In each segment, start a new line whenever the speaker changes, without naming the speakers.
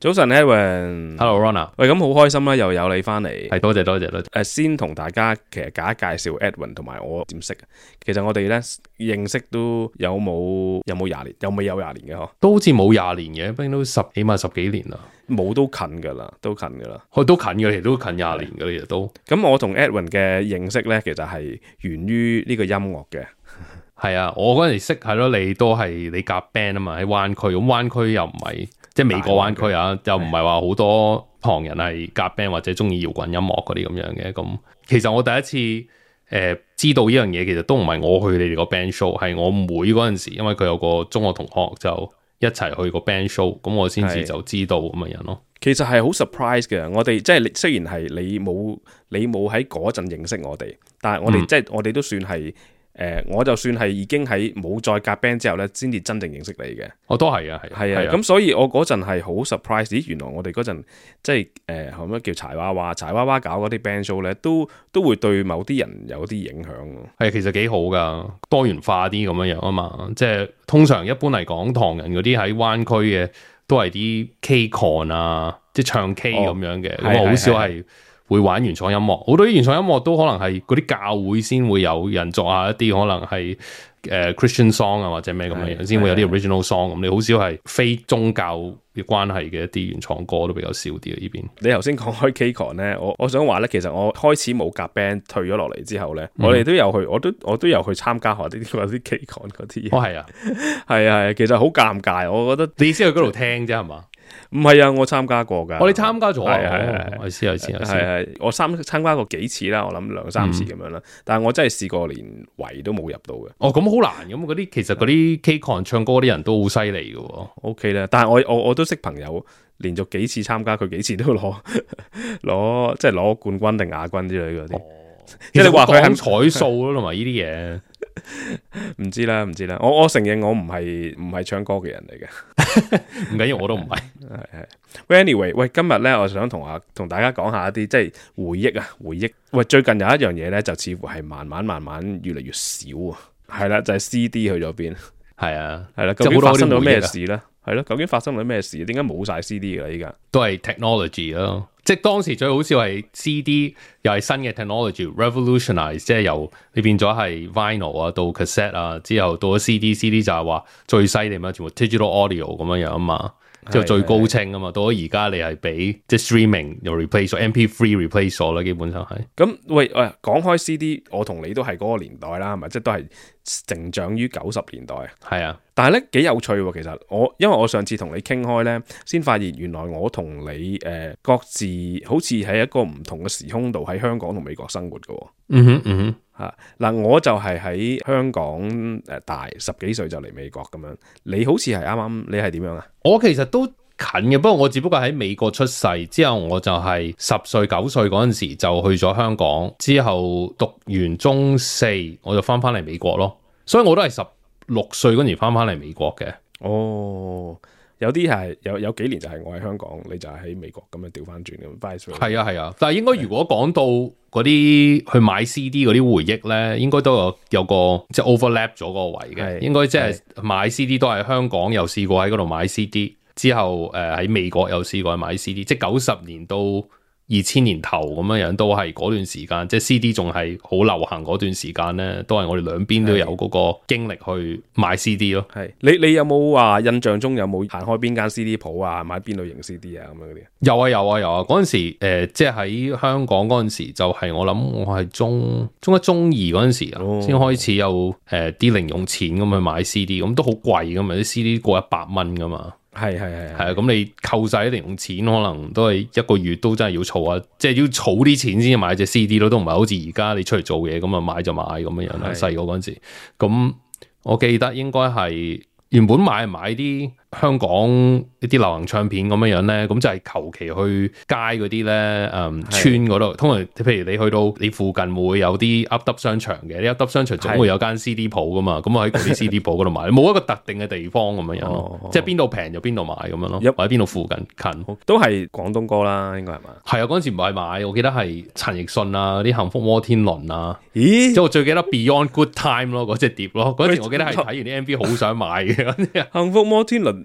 早晨 Edwin，Hello
Rona，
喂，咁好開心啦，又有你翻嚟，
係多謝。
先同大家其實介紹 Edwin 同埋我點識。其實我哋咧認識都有冇20年，有未有20年嘅嗬？
都好似冇20年嘅，畢竟都起碼10幾年啦。
冇都近噶啦，都近嘅，
其實都近20年嘅，其實都。
咁我同 Edwin 嘅認識咧，其實係源於呢個音樂嘅。
係啊，我嗰陣時識係咯，你都係你夾 band 啊嘛，喺灣區，咁灣區又唔係即係美國灣區啊，又唔係話好多旁人係夾 band 或者中意搖滾音樂嗰啲咁樣嘅。咁其實我第一次知道呢樣嘢，其實都唔係我去你哋個 band show， 係我妹嗰陣時，因為佢有個中學同學就一齊去個 band show， 咁我先至就知道咁嘅人咯。
其實係好 surprise 嘅，我哋即係雖然係你冇喺嗰陣認識我哋，但係我哋即係我哋都算係。我就算係已經喺冇再夾 band 之後咧，先至真正認識你嘅。
我都係啊，
係啊。咁所以我嗰陣係好 surprise， 咦，原來我哋嗰陣即係後咩叫柴娃娃搞嗰啲 band show 咧，都會對某啲人有啲影響。
係其實幾好噶，多元化啲咁樣樣啊嘛。即係通常一般嚟講，唐人嗰啲喺灣區嘅都係啲 K-con 啊，即係唱 K 咁樣嘅，咁好少係會玩原創音樂，好多啲原創音樂都可能係嗰啲教會先會有人作下一啲可能係Christian song 啊或者咩咁嘅樣，先會有啲 original song 咁。你好少係非宗教嘅關係嘅一啲原創歌都比較少啲啊呢邊。
你頭先講開 K-con 咧，我想話咧，其實我開始冇夾 band 退咗落嚟之後咧，我哋都有去，我都有去參加下啲 K-con 嗰啲嘢。
哦係啊，
係啊，其實好尷尬，我覺得。
你先去嗰度聽啫係嘛？
唔係啊，我參加過㗎。
我哋參加咗啊，
係，我參加過幾次啦，我諗2-3次咁樣啦。但係我真係試過連圍都冇入到嘅。
哦，咁好難咁，其實嗰啲 K-con 唱歌啲人都好犀利嘅。
OK 啦，但係我都識朋友連續幾次參加，佢幾次都攞即係攞冠軍定亞軍之類嗰啲。
即係你話佢肯彩數咯，同埋呢啲嘢。
唔知啦，我承認我唔係唱歌嘅人嚟嘅，
唔緊要，我都唔係。
係。Anyway， 喂，今日咧，我想同大家講下一啲即係回憶。喂，最近有一樣嘢咧，就似乎係慢慢越嚟越少啊。係啦，就係 CD 去咗邊。
係啊，
係啦，究竟發生咗咩事咧？係咯，究竟發生咗咩事？點解冇晒 CD 噶啦？依家
都係 technology 咯。即係當時最好笑係 CD 又係新嘅 technology revolutionize， 即係由你變咗係 vinyl 啊到 cassette 啊，之後到咗 CD 就係話最犀利嘛，全部 digital audio 咁樣樣啊嘛，之後最高清啊嘛，到咗而家你係俾即係 streaming 又 replace 咗 MP3 replace 咗啦，基本上係。
咁喂，講開 CD， 我同你都係嗰個年代啦，係咪？即係都係成長於90年代。
係啊。
但係咧幾有趣喎，其實因為我上次同你傾開咧，先發現原來我同你各自好似喺一個唔同嘅時空度喺香港同美國生活嘅。嗱，我就係喺香港大10幾歲就嚟美國咁樣，你好似係啱，你係點樣啊？
我其實都近嘅，不過我只不過喺美國出世之後，我就係10歲9歲嗰陣時就去咗香港，之後讀完中4我就翻嚟美國咯，所以我都係16歲嗰陣時翻嚟美國嘅。
哦，有啲係有幾年就係我喺香港，你就係喺美國咁樣調翻轉咁。
係啊，但係應該如果講到嗰啲去買 CD 嗰啲回憶咧，應該都有個即係 overlap 咗個位嘅。應該即係買 CD 都係香港又試過喺嗰度買 CD， 之後喺美國又試過買 CD， 即係90年到2000年頭咁樣都係嗰段時間，即係 CD 仲係好流行嗰段時間咧，都係我哋兩邊都有嗰個經歷去買 CD 咯。
係你有冇話印象中有冇行開邊間 CD 鋪啊，買邊類型 CD 啊咁樣嗰啲？
有啊！嗰陣時即係喺香港嗰陣時，就係我諗我係中一中二嗰陣時啊，先開始有啲零用錢咁去買 CD， 咁都好貴噶嘛，啲 CD 過100蚊噶嘛。係啊，咁你扣晒啲零用錢，可能都係一個月都真係要儲啊，即係要儲啲錢先至買隻 CD 咯，都唔係好似而家你出嚟做嘢咁啊買就買咁樣樣啦。細個嗰陣時，咁我記得應該係原本買啲香港一啲流行唱片咁樣樣咧，咁就係求其去街嗰啲咧，村嗰度，通常譬如你去到你附近會有啲 up 商場嘅，啲 up 商場總會有間 CD 鋪噶嘛，咁我喺嗰啲 CD 鋪嗰度買，冇一個特定嘅地方咁樣樣咯，即係邊度平就邊度買咁樣咯，或者邊度附近近，
都係廣東歌啦，應該係嘛？
係啊，嗰陣時唔係買，我記得係陳奕迅啊，啲幸福摩天輪啊，
咦？
即係我最記得 Beyond Good Time 咯，嗰隻碟咯，嗰陣時我記得係睇完啲 MV 好想買嘅。
幸福摩天輪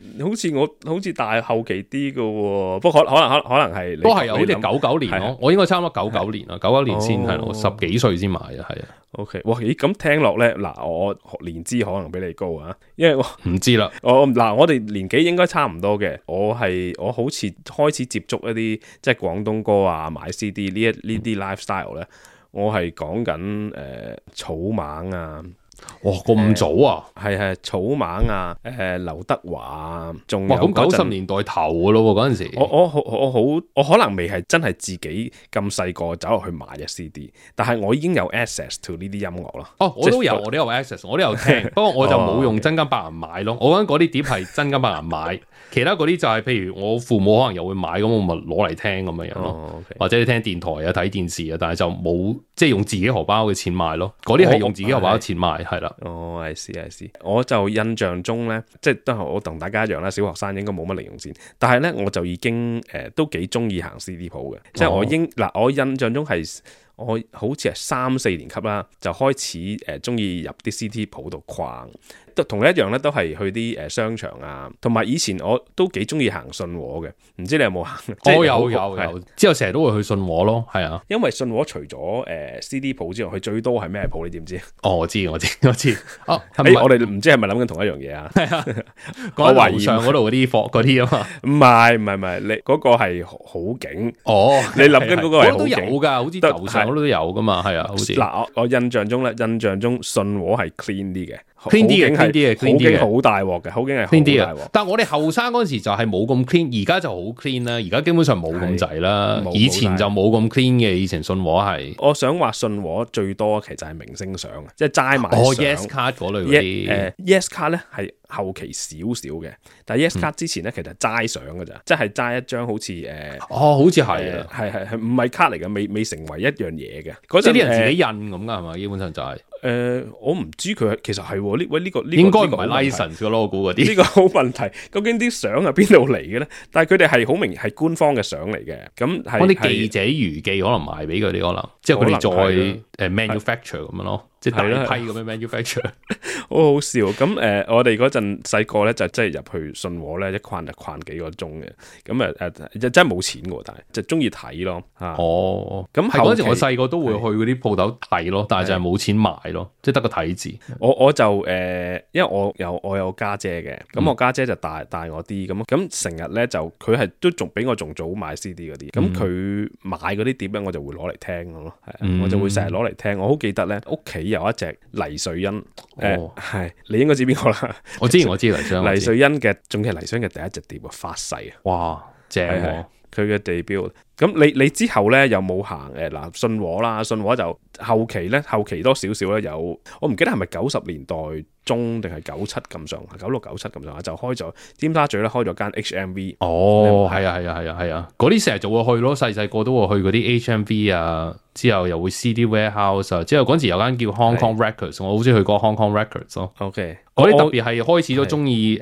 好似大後期啲嘅喎，不過可能係
都係有好似99年咯，我應該差唔多99年啦，99年先係我10幾歲先買啊，係啊。
OK， 哇，咦，咁聽落咧，嗱，我年資可能比你高啊，因為我
唔知啦，
我哋年紀應該差唔多嘅，我好似開始接觸一啲即係廣東歌啊，買 CD 呢啲 lifestyle 咧，我係講緊草蜢啊。
哇，咁早啊？
係草蜢啊，劉德華啊，仲有
咁90年代頭嘅咯喎，嗰陣時
我可能未係真係自己咁細個走落去買嘅 CD， 但係我已經有 access to 呢啲音樂啦。
哦，我都有 access， 我都有聽，不過我就冇用真金白銀買咯。我覺得嗰啲碟係真金白銀買，其他嗰啲就係譬如我父母可能又會買，咁我咪攞嚟聽咁樣樣咯。Okay. 或者你聽電台啊、睇電視啊，但係就冇即係用自己荷包嘅錢買咯。嗰啲係用自己荷包嘅錢買。係啦，I
see，我就印象中咧，即係都係我同大家一樣啦，小學生應該冇乜零用錢，但係咧我就已經都幾中意行 CD 鋪嘅，即係我印象中係我好似係3-4年級啦，就開始中意入啲 CD 鋪度逛。同你一樣咧，都係去啲商場啊，同埋以前我都幾中意行信和嘅，唔知你有冇行？
我有，之後成日都會去信和咯，係啊。
因為信和除咗CD 鋪之外，佢最多係咩鋪？你知唔知？
哦，我知。哦，
我哋唔知係咪諗緊同一樣嘢啊？係啊，
我懷疑上嗰度嗰啲貨嗰啲啊嘛。
唔係，你嗰個係好景。哦，你諗緊嗰個係好景。
都有㗎，好似樓上嗰度都有㗎嘛，係啊，好似。
嗱，我印象中信和係 clean 啲嘅。
clean 啲嘅，
好景好大鑊嘅，好景係好大鑊。
但係我哋後生嗰陣時就係冇咁 clean，而家就好 clean 啦。而家基本上冇咁滯啦，以前就冇咁 clean 嘅。以前信和係，
我想話信和最多其實係明星相，即係齋買相。
Yes 卡嗰類嗰啲
，Yes 卡咧係後期少少嘅，但係 Yes 卡之前咧其實係齋相㗎咋，即係齋一張好似
好似係啊，
係唔係卡嚟嘅，未成為一樣嘢嘅。
即係啲人自己印咁㗎係嘛？基本上就係。
我唔知佢其實係呢個
應該唔係 license 嘅咯，我估嗰啲。
呢個好問題，究竟啲相係邊度嚟嘅咧？但係佢哋係好明係官方嘅相嚟嘅，咁係
我啲記者娛記可能賣俾佢哋，可能即係佢哋再manufacture 咁樣咯。即係大批咁樣 manufacture，
好好笑。咁我哋嗰陣細個咧就真係入去信和咧，一逛就逛幾個鐘嘅。咁真係冇錢嘅，但係就中意睇咯。咁
嗰陣時我細個都會去嗰啲鋪頭睇咯，但係就係冇錢買咯，即係得個睇字。
我就因為我有家姐嘅，咁我家姐就大我啲，咁成日咧就佢係都仲比我仲早買 CD 嗰啲，咁佢買嗰啲碟咧我就會攞嚟聽咯，我就會成日攞嚟聽。我好記得咧屋企有一隻黎瑞恩，係你應該知邊個啦？
我知黎瑞
恩嘅，仲係黎瑞恩嘅第一隻碟啊，發誓啊！
哇，正喎！
佢嘅地標。咁你之後咧有冇行信和啦？信和就後期多少少咧有，我唔記得係咪90年代中定係97咁上，96、97咁上下就開咗尖沙咀咧開咗間 HMV。
哦，係啊，嗰啲成日就會去咯，細個都會去嗰啲 HMV 啊，之後又會 CD Warehouse 啊，之後嗰陣時有間叫 Hong Kong Records，我好中意去過 Hong Kong Records 咯。
OK，
嗰啲特別係開始都中意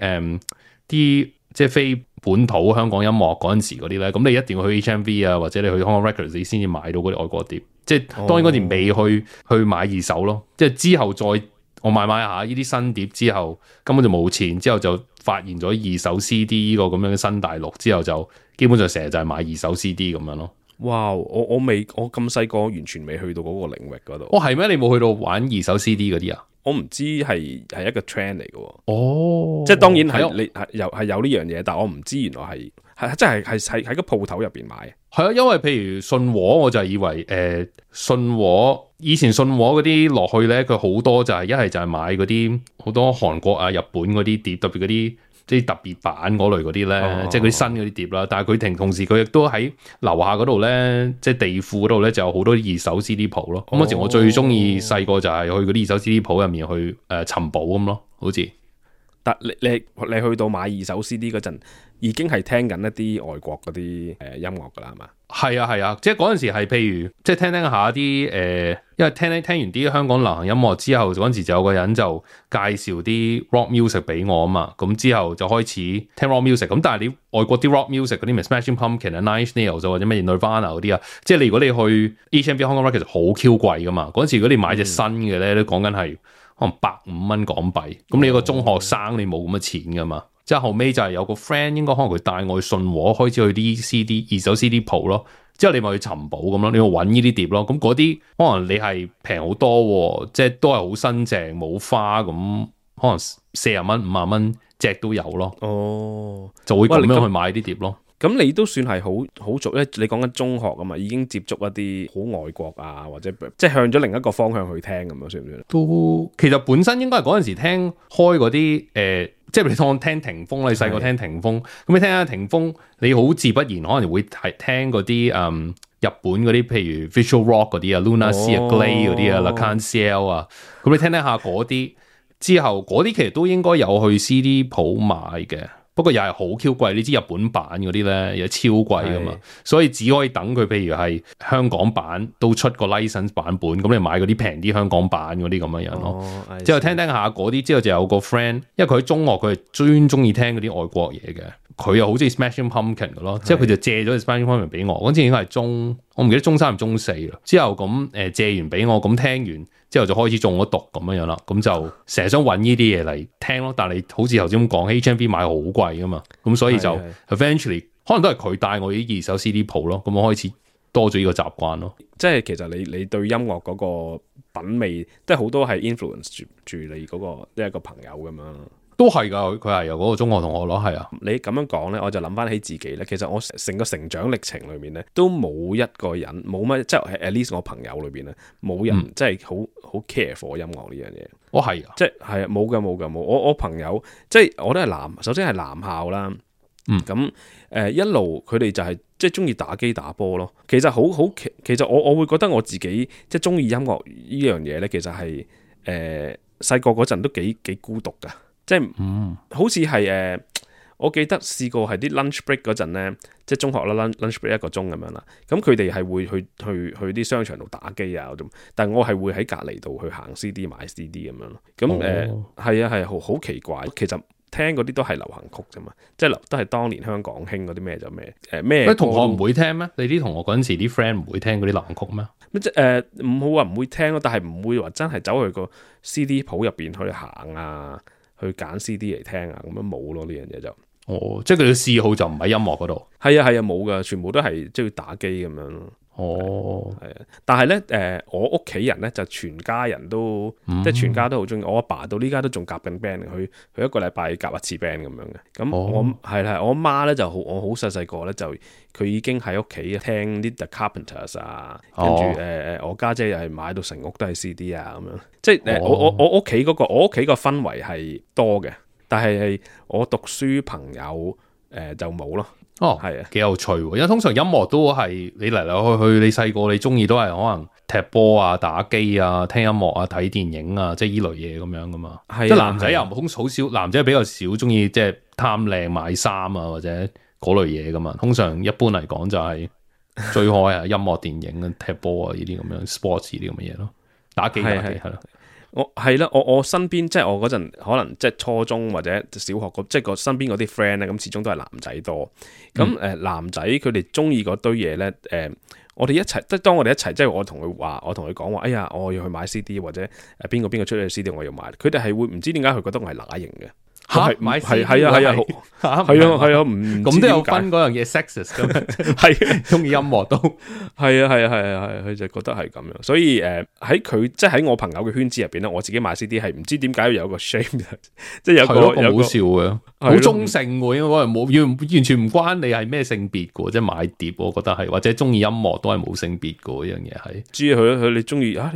啲即係非本土香港音樂嗰陣時嗰啲咧，咁你一定要去 HMV 啊，或者你去 Hong Kong Records 你先至買到嗰啲外國碟。即係當然嗰時未去買二手咯，即係之後再我買下呢啲新碟之後，根本就冇錢，之後就發現咗二手 CD 呢個咁樣嘅新大陸，之後就基本上成日就係買二手 CD 咁樣咯。
哇！我咁細個完全未去到嗰個領域嗰度。
係咩？你冇去到玩二手 CD 嗰啲啊？
我唔知係一個 trend 嚟嘅。即係當然係你係有呢樣嘢，但我唔知原來係真係喺個鋪頭入邊買。
係啊，因為譬如信和，我就以為信和以前信和嗰啲落去咧，佢好多就係一係就係買嗰啲好多韓國啊、日本嗰啲碟，特別嗰啲即係特別版嗰類嗰啲咧，即係嗰啲新嗰啲碟啦。但係佢同時佢亦都喺樓下嗰度咧，即係地庫嗰度咧，就有好多二手 CD 鋪咯。咁嗰時我最中意細個就係去嗰啲二手 CD 鋪入面去尋寶咁咯，好似。
但你去到買二手 CD 嗰陣，已經係聽緊一啲外國嗰啲音樂噶啦，係嘛？
係啊，即係嗰陣時係譬如即係聽下啲因為聽完啲香港流行音樂之後，嗰陣時就有個人就介紹啲 rock music 俾我啊嘛，咁之後就開始聽 rock music。咁但係你外國啲 rock music 嗰啲咩 Smashing Pumpkins 啊、Nine Inch Nails 或者咩 Nirvana 嗰啲啊，即係如果你去 HMV Hong Kong Records 其實好 Q 貴噶嘛。嗰陣時如果你買隻新嘅咧，都講緊係可能150蚊港幣。咁你一個中學生你冇咁嘅錢噶嘛。即係後尾就係有個 friend 應該可能佢帶我去信和開始去啲 CD 二手 CD 鋪咯，之後你咪去尋寶咁咯，你去揾呢啲碟咯，咁嗰啲可能你係平好多，即係都係好新淨冇花咁，可能40蚊50蚊隻都有咯。
哦，
就會咁樣去買啲碟咯。
咁你都算係好早咧，你講緊中學啊嘛，已經接觸一啲好外國啊，或者即係向咗另一個方向去聽咁樣，算唔算？
都其實本身應該係嗰陣時聽開嗰啲即係你當聽霆鋒，你細個聽霆鋒，咁你聽下霆鋒，你好自不然可能會係聽嗰啲日本嗰啲，譬如 Visual Rock 嗰啲啊 ，Luna Sea 啊 ，Glay 嗰啲啊，L'Arc-en-Ciel 啊，咁你聽下嗰啲之後，嗰啲其實都應該有去 CD 鋪買嘅。不過又係好 Q 貴，你知日本版嗰啲咧又超貴噶嘛，所以只可以等佢，譬如係香港版都出個 license 版本，咁你買嗰啲平啲香港版嗰啲咁樣樣咯。之後聽下嗰啲，之後就有個 friend，因為佢喺中學佢係專中意聽嗰啲外國嘢嘅，佢又好中意 Smashing Pumpkin 嘅咯，之後佢就借咗 Smashing Pumpkin 俾我，嗰陣應該係我唔記得中3定中4啦。之後咁借完俾我，咁聽完之後就開始中咗毒咁樣樣啦，咁就成日想揾呢啲嘢嚟聽咯。但係你好似頭先咁講，HMV 買好貴噶嘛，咁所以就 eventually 可能都係佢帶我啲二手 CD 鋪咯，咁我開始多咗呢個習慣咯。
即係其實你對音樂嗰個品味，即係好多係 influence 住你嗰個一個朋友咁樣。
都係噶，佢係由嗰個中學同學咯，係啊。
你咁樣講咧，我就諗翻起自己咧。其實我成個成長歷程裏面咧，都冇一個人冇乜，即係 at least 我朋友裏邊咧，冇人即係好 care for 音樂呢樣嘢。
我係啊，
即係啊，冇㗎。我朋友即係我都係首先係男校啦。咁一路佢哋就係即係中意打機打波咯。其實其實我會覺得我自己即係中意音樂呢樣嘢咧，其實係細個嗰陣都幾孤獨㗎。即係好似係我記得試過係啲 lunch break 嗰陣咧，即係中學啦 lunch break 1個鐘咁樣啦。咁佢哋係會去啲商場度打機啊，但係我係會喺隔離度去行 CD 買 CD 咁樣咯。咁係好奇怪。其實聽嗰啲都係流行曲啫嘛，即係都係當年香港興嗰啲咩就咩咩。
同學唔會聽咩？你啲同學嗰陣時啲 friend 唔會聽嗰啲流行曲咩？
唔好話唔會聽咯，但係唔會話真係走去個 CD 鋪入邊去行啊。去揀 CD 嚟聽啊，咁樣冇咯，呢樣嘢就
即係佢嘅嗜好就唔喺音樂嗰度。
係啊冇噶，全部都係即係打機咁樣咯。係啊，但係咧我屋企人咧就全家人都即係全家都好中意。我阿爸到呢家都仲夾緊 band，佢一個禮拜夾一次 band 咁樣嘅。咁我係我阿媽咧就我好細個咧就佢已經喺屋企聽啲 The Carpenters 啊，跟住我家姐又係買到成屋都係 CD 啊咁樣。即係我屋企個氛圍係多嘅，但係我讀書朋友就冇咯。係啊，
幾有趣喎！因為通常音樂都係你嚟嚟去去，你細個你中意都係可能踢波啊、打機啊、聽音樂啊、睇電影啊，即係依類嘢咁樣噶嘛。即係男仔又好少，男仔比較少中意即係貪靚買衫啊或者嗰類嘢噶嘛。通常一般嚟講就係追開啊音樂、電影啊、踢波啊呢啲咁樣 sports 呢啲咁嘅嘢咯，打機係咯。
我身邊即係我嗰陣可能即係初中或者小學即係個身邊嗰啲 friend 咧，咁始終都係男仔多。咁男仔佢哋中意嗰堆嘢咧，我哋一齊即係當我哋一齊，即係我同佢講話，哎呀，我要去買 CD 或者邊個出去 CD 我要買，佢哋係會唔知點解佢覺得我係乸型嘅。
買
係啊，唔
咁都有分嗰樣嘢 sexist 咁，係中意音樂都
係啊，佢就覺得係咁樣，所以喺佢即係喺我朋友嘅圈子入邊咧，我自己買 CD 係唔知點解要有個 shame， 即係有個
好笑嘅，好中性嘅，應該係冇完全唔關你係咩性別嘅，即係買碟，我覺得係或者中意音樂都係冇性別嘅，呢樣嘢係。
知佢你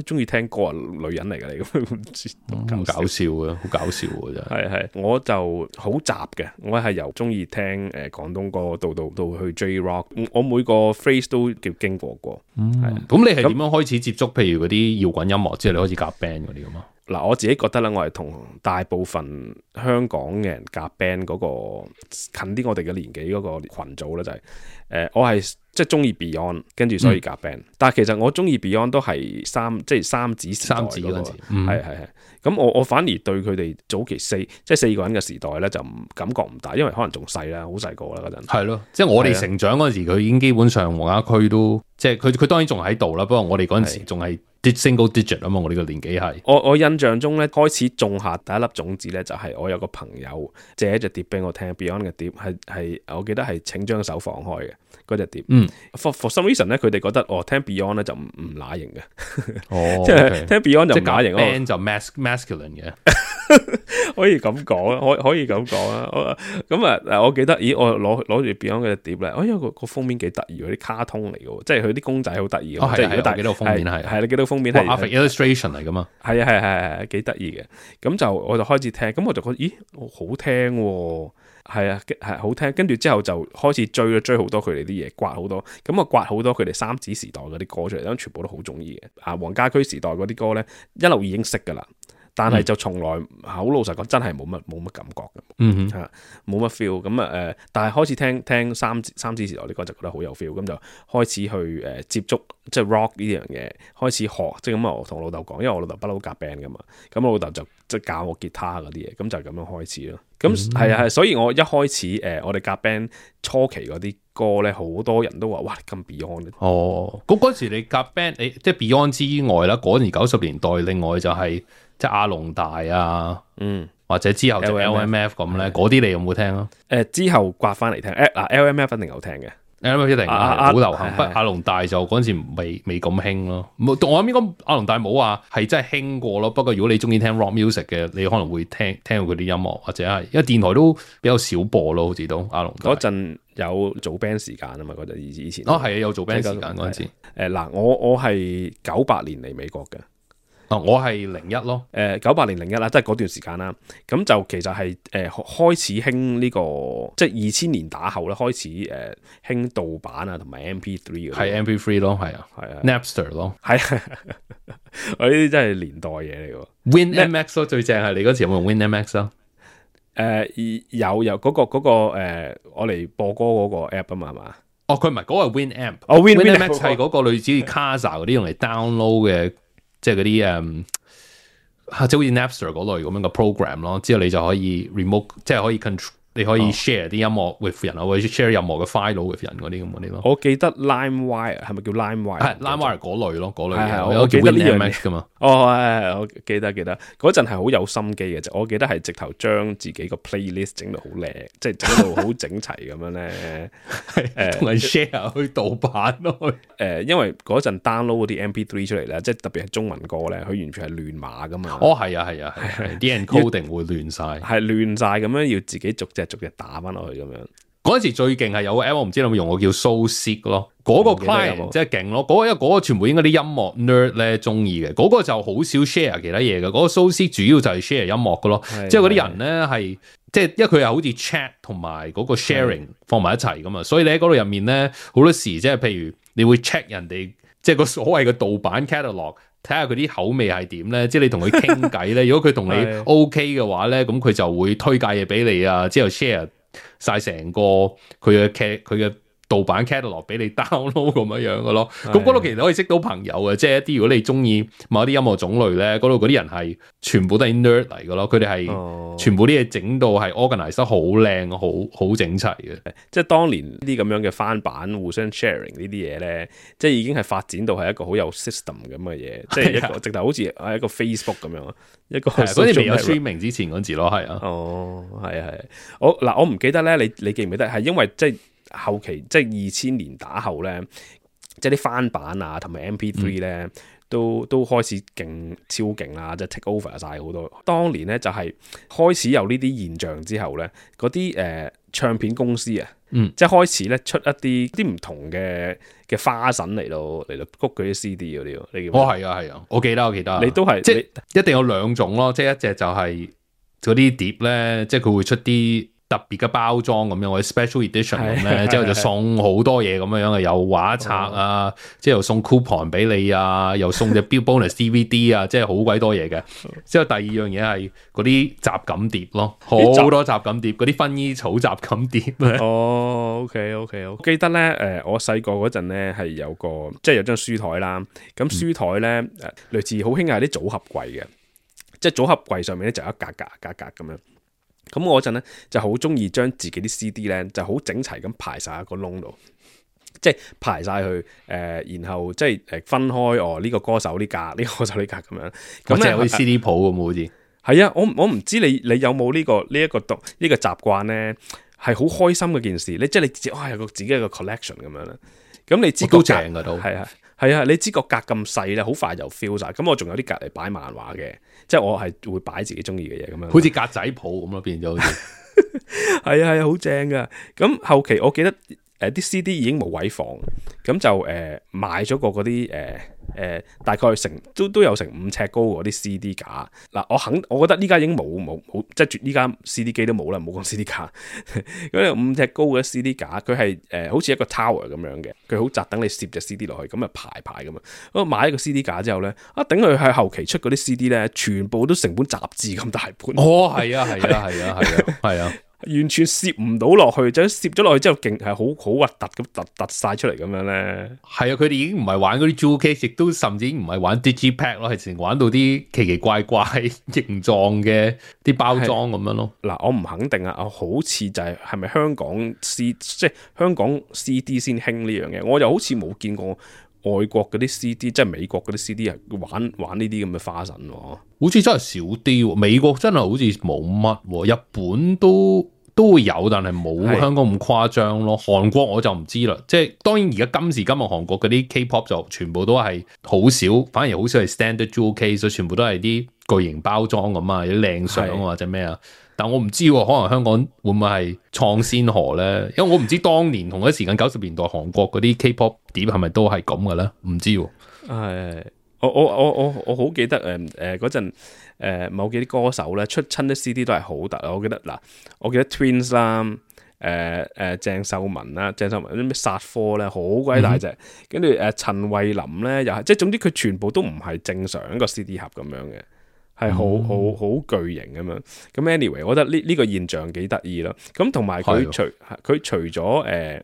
中意聽歌啊，女人嚟嘅你咁，
好搞笑嘅，好搞笑嘅真係。
係我就好雜嘅，我係由中意聽廣東歌到去 J Rock， 我每個 phrase 都叫經過。
咁你係點樣開始接觸？譬如嗰啲搖滾音樂之後，你開始夾 band 嗰啲咁啊？
嗱，我自己覺得咧，我係同大部分香港嘅人夾 band 嗰個近啲我哋嘅年紀嗰個群組咧，就係我係即係中意 Beyond， 跟住所以夾 band。但係其實我中意 Beyond 都係三子時代嗰陣時，係。咁我反而對佢哋早期四個人嘅時代咧，就感覺唔大，因為可能仲細啦，好細個啦嗰陣。
係咯，即係我哋成長嗰陣時，佢已經基本上黃家駒都即係佢當然仲喺度啦，不過我哋嗰陣時仲係 single digit 啊嘛，我哋個年紀係。
我印象中咧，開始種下第一粒種子咧，就係我有個朋友借一隻碟俾我聽 ，Beyond 嘅碟係我記得係請將手放開嘅嗰隻碟。For some reason 咧，佢哋覺得聽 Beyond 咧就唔乸型嘅，即係聽 Beyond 就唔乸型咯。
band 就 masculine 嘅。
可以咁講啊，可以咁講啊。咁啊，我記得，我攞住 Beyond 嘅碟咧，因為個封面幾得意，啲卡通嚟嘅，即係佢啲公仔好得意。
即係如果大家記得封面係
你記得封面係
illustration 嚟噶嘛？
係幾得意嘅。咁我就開始聽，咁我就覺得咦好聽喎，係好聽。跟住之後就開始追好多佢哋啲嘢，刮好多。咁刮好多佢哋三子時代嗰啲歌出嚟，咁全部都好中意嘅。黃家駒時代嗰啲歌咧，一路已經識噶啦。但係就從來好老實講，真係冇乜感覺嘅，冇乜 feel。咁但係開始聽三子時代啲歌就覺得好有 feel，咁就開始去接觸即係 rock 呢樣嘢，開始學。即係咁我同老豆講，因為我老豆不嬲夾 band 噶嘛，咁我老豆就即係教我吉他嗰啲嘢，咁就咁樣開始咯。咁係，所以我一開始我哋夾 band 初期嗰啲歌咧，好多人都話哇咁 Beyond。
嗰時你夾 band，即係 Beyond 之外啦，嗰年90年代，另外就係。即係阿龍大啊，或者之後就 LMF 咁咧，嗰啲你有冇聽啊？
之後刮翻嚟聽，LMF 一定有聽嘅
，LMF 一定好流行。不過阿龍大就嗰陣時未咁興咯。我諗應該阿龍大冇話係真係興過咯。不過如果你中意聽 rock music 嘅，你可能會聽到佢啲音樂，或者係因為電台都比較少播咯，好似都阿龍大。
嗰陣有做 band 時間啊嘛，嗰陣以前。
係有做 band 時間嗰陣時。
我係98年嚟美國嘅。
我係01咯
，98年01啦，即係嗰段時間啦。咁就其實係開始興呢個，即係2000年打後咧，開始興盜版啊，同埋 MP3 嗰啲。
係 MP3 咯，係啊，Napster 咯，
係我呢啲真係年代嘢嚟㗎。
WinMX 咯，最正係你嗰時有冇用 WinMX 啊？
有嗰個我嚟播歌嗰個 app 啊嘛，係嘛？
佢唔係嗰個係 Winamp。WinMX 係嗰個類似 Kazaa 嗰啲用嚟 download 嘅。即係嗰啲即係好似 Napster 嗰類咁樣嘅 program 咯，之後你就可以 remote， 即係可以 control，你可以 share 啲音樂 with 人，或者 share 任何嘅 file with 人嗰啲咁嗰啲咯。
我記得 LimeWire 係咪叫 LimeWire？ 係
LimeWire 嗰類咯，嗰類嘅。
我記得呢樣嘢
噶嘛。
我記得嗰陣係好有心機嘅啫。我記得係直頭將自己個 playlist 整到好靚，即係整到好整齊咁樣咧。
同人 share 去盜版咯。
因為嗰陣 download 嗰啲 MP3 出嚟咧，即係特別係中文歌咧，佢完全係亂碼噶嘛。
係啊，啲 encoding 會亂晒，
係亂晒咁樣，要自己逐隻打翻落去咁樣。
嗰陣時最勁係有個 app， 我唔知你有冇用過叫 SoSeek 咯，嗰個 client 即係勁咯，因為嗰個全部應該啲音樂 nerd 咧中意嘅，嗰個就好少 share 其他嘢嘅，嗰個 SoSeek 主要就係 share 音樂嘅咯，即係嗰啲人咧係即係因為佢係好似 chat 同埋嗰個 sharing 放埋一齊噶嘛，所以你喺嗰度入面咧好多時即係譬如你會 check 人哋即係個所謂嘅盜版 catalog， 睇下佢啲口味係點咧，即係你同佢傾偈咧，如果佢同你 OK 嘅話咧，咁佢就會推介嘢俾你啊，之後 share晒成個佢嘅盜版 catalog 俾你 download 咁樣嘅咯，咁嗰度其實可以識到朋友嘅，即係一啲如果你中意某啲音樂種類咧，嗰度嗰啲人係全部都係 nerd 嚟嘅咯，佢哋係全部啲嘢整到係 organize 得好靚，好整齊嘅。
即係當年呢啲咁樣嘅翻版互相 sharing 呢啲嘢咧，即係已經係發展到係一個好有 system 咁嘅嘢，即係一個直頭好似係一個 Facebook 咁樣，一個
嗰啲未有 streaming 之前嗰陣時咯，係啊。
係我唔記得咧，你記唔記得係因為即係後期即係2000年打後咧，即係啲翻版啊同埋 MP3 咧都開始超勁啦，即係 take over 晒好多。當年咧就係開始有呢啲現象之後咧，嗰啲唱片公司啊，即係開始咧出一啲唔同嘅花臣嚟到谷嗰啲 CD 嗰啲。你
係啊，我記得，
你都係
即係一定有兩種咯，即係一隻就係嗰啲碟咧，即係佢會出啲特別嘅包裝咁樣，或者 special edition 咁咧，之後就送好多嘢咁樣嘅，有畫冊啊，之後送 coupon 俾你啊，又送隻 bonus DVD 啊，即係好鬼多嘢嘅。之後第二樣嘢係嗰啲雜錦碟咯，好多雜錦碟，嗰啲薰衣草雜錦碟。
OK，我記得咧，我細個嗰陣咧係有個即係有張書台啦，咁書台咧類似好興係啲組合櫃嘅，即係組合櫃上面咧就有一格咁樣。咁我嗰陣咧就好中意將自己啲 CD 咧就好整齊咁排晒喺個窿度，即係排晒去然後即係分開呢個歌手呢格，呢個歌手呢格咁樣。
咁即係好似 CD 鋪咁好似。
係啊，我唔知你有冇呢個習慣咧，係好開心嘅件事。你即係你自己有個自己一個 collection 咁樣啦。咁你知個格
正噶都
係啊，你知個格咁細咧，好快就 fill 晒。咁我仲有啲格嚟擺漫畫嘅，即係我係會擺自己中意嘅嘢咁樣。
好似格仔鋪咁咯，變咗好似。
係啊，好正噶。咁後期我記得啲 CD 已經冇位放，咁就買咗個嗰啲大概都有成5尺高嗰啲 CD 架。嗱，我覺得呢家已經冇即係呢家 CD 機都冇啦，冇講 CD 架。咁5尺高嘅 CD 架，佢係好似一個 tower 咁樣嘅，佢好窄，等你攝隻 CD 落去，咁啊排咁啊。我買一個 CD 架之後咧，頂佢喺後期出嗰啲 CD 咧，全部都成本雜誌咁大本。
哦，係啊。
完全攝唔到落去，就攝咗落去之後，勁係好核突咁突晒出嚟咁樣咧。
係啊，佢哋已經唔係玩嗰啲 jewel case，亦都甚至唔係玩 digipack 咯，係成玩到啲奇奇怪怪形狀嘅啲包裝咁樣咯。
嗱，我唔肯定啊，好似就係咪香港即係香港 CD 先興呢樣嘢，我又好似冇見過外國嗰啲 CD， 即係美國嗰啲 CD 係玩呢啲咁嘅花神喎。
好似真係少啲喎，美國真係好似冇乜，日本都會有，但係冇香港咁誇張咯。韓國我就唔知啦，即係當然而家今時今日韓國嗰啲 K-pop 就全部都係好少，反而好少係 standard jewel case，全部都係啲巨型包裝咁啊，有啲靚相或者咩啊。但我唔知喎，可能香港會唔會係創先河咧？因為我唔知當年同一時間90年代韓國嗰啲 K-pop 碟係咪都係咁嘅咧？唔知喎。
係。我好記得嗰陣某幾啲歌手咧出親啲 CD 都係好突。我記得 Twins 啦，鄭秀文啲咩殺科咧好鬼大隻，跟住陳慧琳咧又係，即係總之佢全部都唔係正常一個 CD 盒咁樣嘅，係好巨型咁樣。咁 anyway， 我覺得呢個現象幾得意咯。咁同埋佢除咗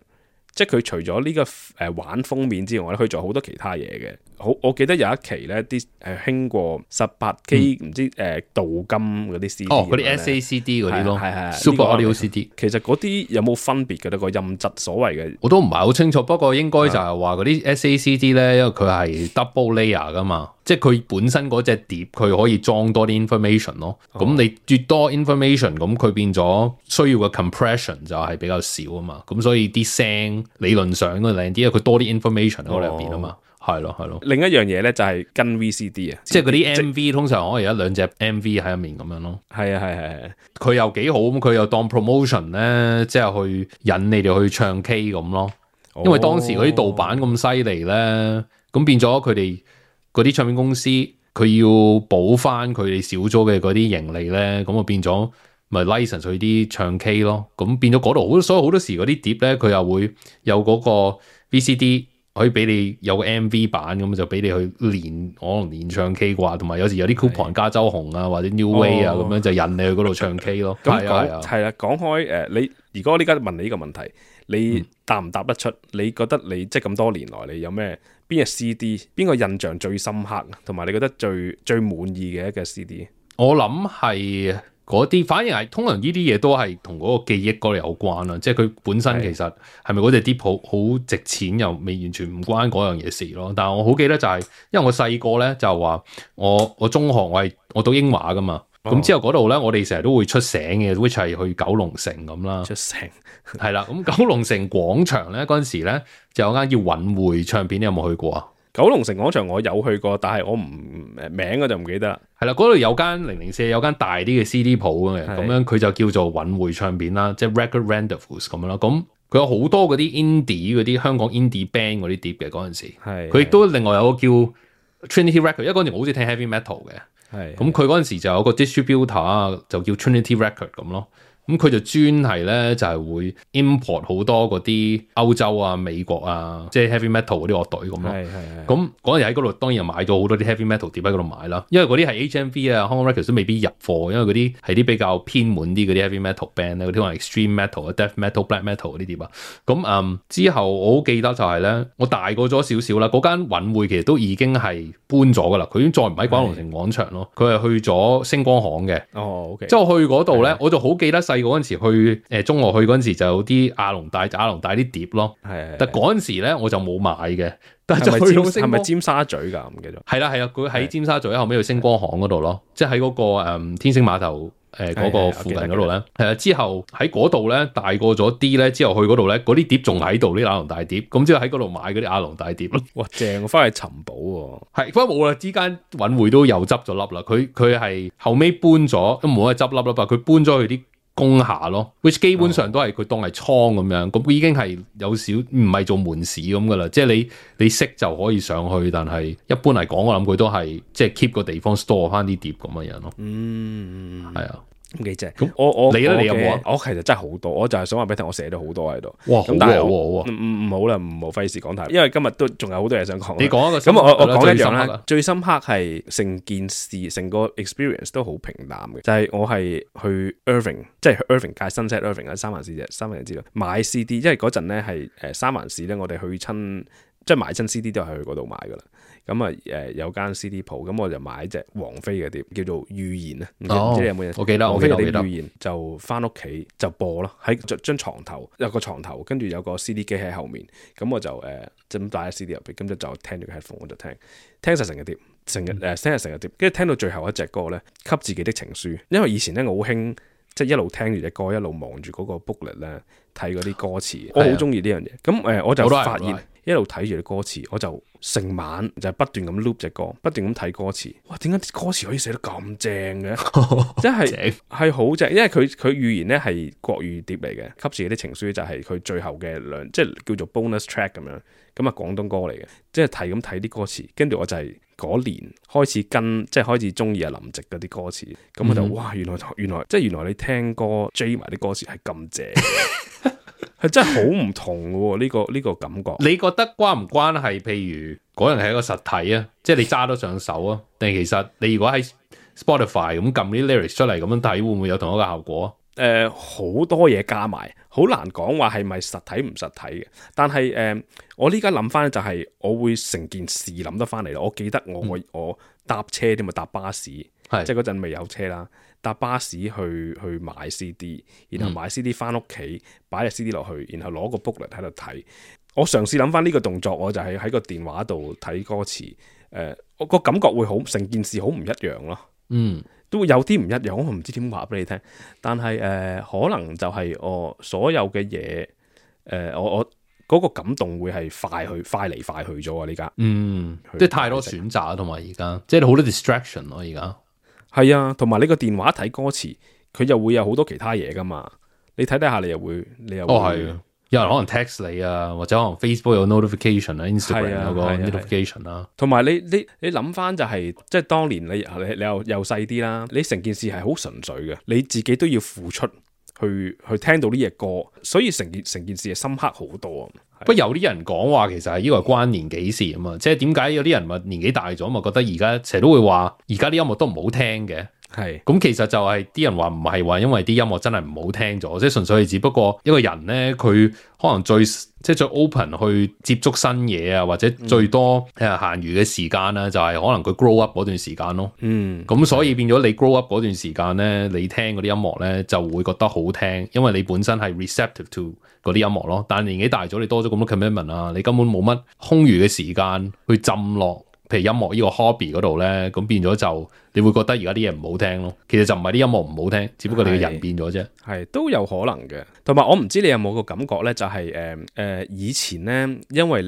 即係佢除咗呢個玩封面之外咧，佢仲有好多其他嘢嘅。我記得有一期咧，啲興過18K 唔知鍍金嗰啲 CD。哦，
嗰啲 SACD 嗰啲咯，
係
Super Audio CD。
其實嗰啲有冇分別嘅咧？個音質所謂嘅，
我都唔係好清楚。不過應該就係話嗰啲 SACD 咧，因為佢係 double layer 噶嘛，即係佢本身嗰隻碟佢可以裝多啲 information 咯。咁你越多 information，咁佢變咗需要嘅 compression 就係比較少啊嘛。咁所以啲聲理論上都靚啲，因為佢多啲 information 喺入邊啊嘛。係咯。另一樣嘢咧就係跟 VCD 啊，
即係
嗰啲 MV 通常可以有1-2隻 MV 喺入面咁樣咯。
係啊，
佢又幾好咁，佢又當 promotion 咧，即係去引你哋去唱 K 咁咯。因為當時嗰啲盜版咁犀利咧，咁變咗佢哋嗰啲唱片公司，佢要補翻佢哋少咗嘅嗰啲盈利咧，咁啊變咗咪 license 去啲唱 K 咯。咁變咗嗰度所以好多時嗰啲碟咧，佢又會有嗰個 VCD。可以俾你有個 MV 版咁就俾你去練，可能練唱 K 啩，同埋有時有啲 coupon 加州紅啊或者 New Way 啊咁樣就引你去嗰度唱 K 咯。咁
係啦，講開你如果我呢家問你呢個問題，你答唔答得出？你覺得你即係咁多年來你有咩邊隻 CD 邊個印象最深刻，同埋你覺得最滿意嘅一個 CD？
我諗係嗰啲，反而係通常呢啲嘢都係同嗰個記憶嗰度有關啦，即係佢本身其實係咪嗰隻碟好值錢又未完全唔關嗰樣嘢事咯。但係我好記得就係，因為我細個咧就話我中學我讀英華噶嘛，咁之後嗰度咧我哋成日都會出醒嘅，which 係去九龍城咁啦。
出醒
係啦，咁九龍城廣場咧嗰陣時咧就有間叫韻匯唱片，你有冇去過啊？
九龍城廣場我有去過，但係我名我就唔記得啦。
係啦，嗰度有間004，有間大啲嘅 CD 鋪嘅，咁樣佢就叫做韻匯唱片啦，即係 Record Rendezvous 咁樣啦。咁佢有好多嗰啲 indie 嗰啲香港 indie band 嗰啲碟嘅嗰陣時，佢亦都另外有個叫 Trinity Record，因為嗰陣時我好似聽 heavy metal 嘅，咁佢嗰陣時就有個 distributor 就叫 Trinity Record 咁咯。咁佢就專係咧，就係會 import 好多嗰啲歐洲啊、美國啊，即係 heavy metal 嗰啲樂隊咁咯。咁嗰陣喺嗰度當然買咗好多啲 heavy metal 碟喺嗰度買啦。因為嗰啲係 HMV 啊、Hong Kong Records 都未必入貨，因為嗰啲係啲比較偏門啲嗰啲 heavy metal band 咧，嗰啲可能 extreme metal 啊、death metal、black metal 嗰啲碟啊。咁之後我好記得就係咧，我大個咗少少啦，嗰間韻匯其實都已經係搬咗噶啦，佢已經再唔喺九龍城廣場咯，佢係去咗星光行嘅。
OK。
之後去嗰度咧，我就好記得細細個嗰陣時去中學去嗰陣時就有啲亞龍大啲碟咯，
係
但嗰陣時咧我就冇買嘅。但
係
係
咪尖沙咀㗎？唔記得。
係啦，佢喺尖沙咀後尾去星光行嗰度咯，即係喺嗰個天星碼頭嗰個附近嗰度咧。係啊，之後喺嗰度咧大個咗啲咧，之後去嗰度咧嗰啲碟仲喺度，啲亞龍大碟。咁之後喺嗰度買嗰啲亞龍大碟咯。
哇，正！我翻去尋寶喎。
係，不過冇啦，之間揾會都又執咗笠啦。佢係後尾搬咗，都冇得執笠啦。佢搬咗去啲工廈咯 ，which 基本上都係佢當係倉咁樣，咁已經係有少唔係做門市咁噶啦，即係你識就可以上去，但係一般嚟講，我諗佢都係即係 keep 個地方 store 翻啲碟咁嘅樣咯。係啊。
咁幾正？咁
你有冇啊？
我其實真係好多，我就係想話俾你聽，我寫咗好多喺度。
哇！
咁但係
唔
好啦，唔好費事講太，因為今日都仲有好多嘢想講。
你講一個
咁我講一樣
啦，
啦。最深刻係成件事，成個 experience 都好平淡嘅。就係我係去 Irving， 即係 Irving 界 Sunset Irving 喺三藩市啫，三藩市知道買 CD， 因為嗰陣咧係三藩市咧，我哋去親即係買親 CD 都係去嗰度買噶啦。咁啊有間 CD 鋪，咁我就買隻王菲嘅碟，叫做《預言》啊，唔知你有冇印象？
我記得，
王菲嘅碟《預言》就翻屋企就播咯，喺張床頭有個床頭，跟住有個 CD 機喺後面，咁我就咁帶咗 CD 入邊，咁就聽住個 headphone 我就聽晒成個碟，聽晒成個碟，跟住聽到最後一隻歌咧，給自己的情書，因為以前咧我好興即係一路聽住隻歌，一路望住嗰個 booklet 咧睇嗰啲歌詞，我好中意呢樣嘢。咁我就發現一路睇住啲歌詞，我就成晚就不斷咁 loop 隻歌，不斷咁睇歌詞。哇！點解啲歌詞可以寫得咁正嘅？真係好正，因為佢預言咧係國語碟嚟嘅，給自己啲情書就係佢最後嘅即係叫做 bonus track 咁樣。咁啊廣東歌嚟嘅，即係睇咁睇啲歌詞，跟住我就係嗰年開始即係開始中意阿林夕嗰啲歌詞，咁我就哇原來即係原來你聽歌追埋啲歌詞係咁正。係真係好唔同嘅喎，呢個感覺。
你覺得關唔關係？譬如嗰人係一個實體啊，即係你揸得上手啊，定係其實你如果喺 Spotify 咁撳啲 lyrics 出嚟咁樣睇，會唔會有同一個效果啊？
好多嘢加埋，好難講話係咪實體唔實體嘅。但係我呢家諗翻就係我會成件事諗得翻嚟咯。我記得我搭車添啊，搭巴士，即係嗰陣未有車啦。搭巴士去買 CD， 然後買 CD 翻屋企，擺隻 CD 落去，然後攞個 booklet 喺度睇。我嘗試諗翻呢個動作，我就係喺個電話度睇歌詞。我個感覺會好，成件事好唔一樣咯。都會有啲唔一樣，我唔知點話俾你聽。但係可能就係我所有嘅嘢，我嗰個感動會係快嚟快去咗啊！呢家
即係太多選擇，同埋而家即係好多 distraction 咯。而家
係啊，同埋你個電話睇歌詞，佢又會有好多其他嘢噶嘛。你睇下，你又會
係啊。有人可能 text 你啊，或者可能 Facebook 有 notification 啊 ，Instagram 有個 notification 啦。同
埋你諗翻就係，即係當年你又細啲啦，你成件事係好純粹嘅，你自己都要付出去聽到呢隻歌，所以成件事係深刻好多。
不過有啲人講話其實係呢個係關年紀事啊嘛，即係點解有啲人咪年紀大咗咪覺得而家成日都會話而家啲音樂都唔好聽嘅。
係
咁其實就係啲人話唔係話因為啲音樂真係唔好聽咗，即係純粹係只不過一個人咧，佢可能最 open 去接觸新嘢啊，或者最多閒餘嘅時間啦，就係可能佢 grow up 嗰段時間咯。咁所以變咗你 grow up 嗰段時間咧，你聽嗰啲音樂咧就會覺得好聽，因為你本身係 receptive to 嗰啲音樂咯。但係年紀大咗，你多咗咁多 commitment 啊，你根本冇乜空餘嘅時間去浸落譬如音樂呢個 hobby 嗰度咧，咁變咗就你會覺得而家啲嘢唔好聽咯。其實就唔係啲音樂唔好聽，只不過你嘅人變咗啫。
係都有可能嘅。同埋我唔知你有冇個感覺咧，就係以前咧，因為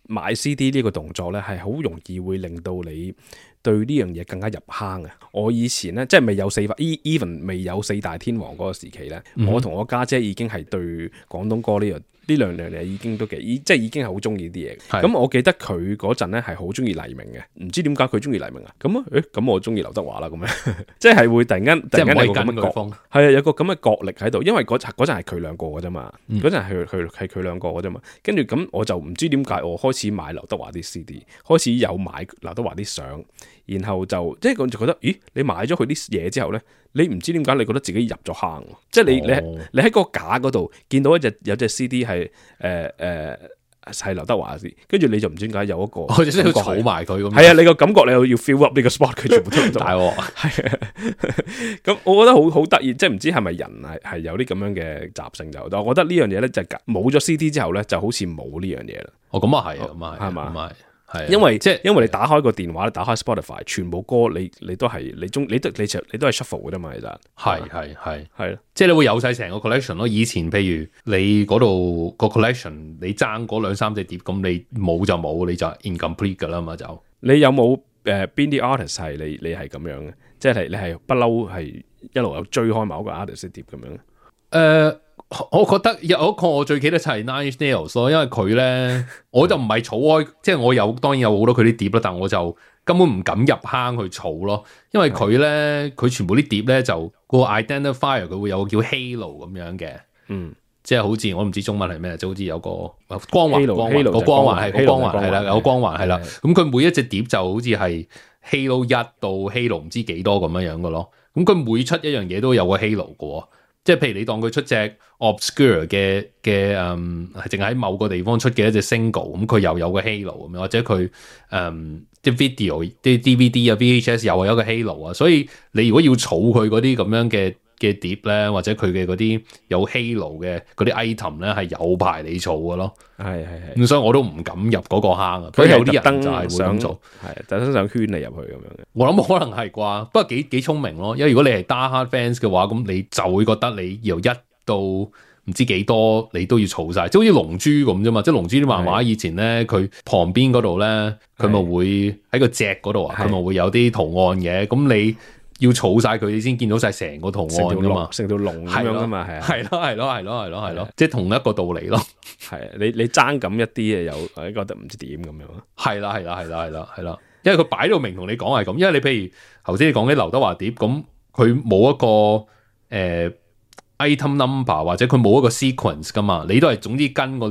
買 CD 呢個動作咧係好容易會令到你對呢樣嘢更加入坑嘅。我以前咧即係未有even 未有四大天王嗰個時期咧，我同我家姐已經係對廣東歌呢兩樣嘢已經都即係已經係好中意啲嘢。咁我記得佢嗰陣咧係好中意黎明嘅，唔知點解佢中意黎明啊？咁我中意劉德華啦，咁樣即係會突然間有個咁嘅角，係啊，有個咁嘅角力喺度，因為嗰陣係佢兩個嘅啫嘛，嗰陣係佢兩個嘅啫嘛。跟住咁我就唔知點解我開始買劉德華啲 CD， 開始有買劉德華啲相，然後就即係我就覺得，咦？你買咗佢啲嘢之後咧，你唔知點解你覺得自己入咗坑，即係你喺個架嗰度見到有隻 CD 係係劉德華啲，跟住你就唔知點解有一個，
我即係要儲埋佢咁。
係啊，你個感覺你又要 fill up 呢個 spot， 佢全部都唔到。
大鑊
係啊，咁我覺得好得意，即係唔知係咪人係有啲咁樣嘅習性就，但我覺得呢樣嘢咧就冇咗 CD 之後咧，就好似冇呢樣嘢啦。
哦，咁啊係啊，咁啊
係嘛？
係，
因為
即係
因為你打開個電話，打開 Spotify， 全部歌你都係你都係 shuffle 嘅啫嘛，其實
係咯，即係你會有晒成個 collection 咯。以前譬如你嗰度個 collection， 你爭嗰2-3隻碟，咁你冇就冇，你就 incomplete 噶啦嘛就。
你有冇邊啲 artist 係你係咁樣嘅？即係你係不嬲係一路有追開某個 artist 碟咁樣？
我覺得有一個我最記得就係 Nine Inch Nails 咯，因為佢咧我就唔係儲開，即係我當然有好多佢啲碟啦，但我就根本唔敢入坑去儲咯，因為佢咧佢全部啲碟咧就個 identifier 佢會有個叫 Halo 咁樣嘅，即係好似我唔知中文係咩，就好似有個光環個光環係啦，有個光環係啦，咁佢每一隻碟就好似係 Halo 1到 Halo 唔知幾多咁樣嘅咯，咁佢每出一樣嘢都有個 Halo 嘅。即係譬如你當佢出隻 obscure 嘅係淨係喺某個地方出嘅一隻 single， 咁佢又有個 halo 咁樣，或者佢啲 video 啲 DVD 啊 VHS 又係有一個 halo 啊，所以你如果要儲佢嗰啲咁樣嘅碟咧，或者佢嘅嗰啲有 halo 嘅嗰啲 item 咧，係有排你儲嘅咯。係咁，所以我都唔敢入嗰個坑啊。佢有啲人就係會咁做，係特登想圈你入去咁樣嘅。我諗可能係啩，不過幾聰明咯。因為如果你係 die hard fans 嘅話，咁你就會覺得你由1到唔知幾多，你都要儲晒，即係好似龍珠咁啫嘛。即係龍珠啲漫畫以前咧，佢旁邊嗰度咧，佢咪會喺個隻嗰度啊，佢咪會有啲圖案嘅。咁你要儲晒佢，你先見到晒成個圖案噶嘛，成條龍咁樣噶嘛，係咯，即係同一個道理咯。係你爭咁一啲嘅，又覺得唔知點咁樣。係啦，因為佢擺到明同你講係咁。因為你譬如頭先你講啲劉德華碟，咁佢冇一個item number 或者佢冇一個 sequence 噶嘛，你都係總之跟個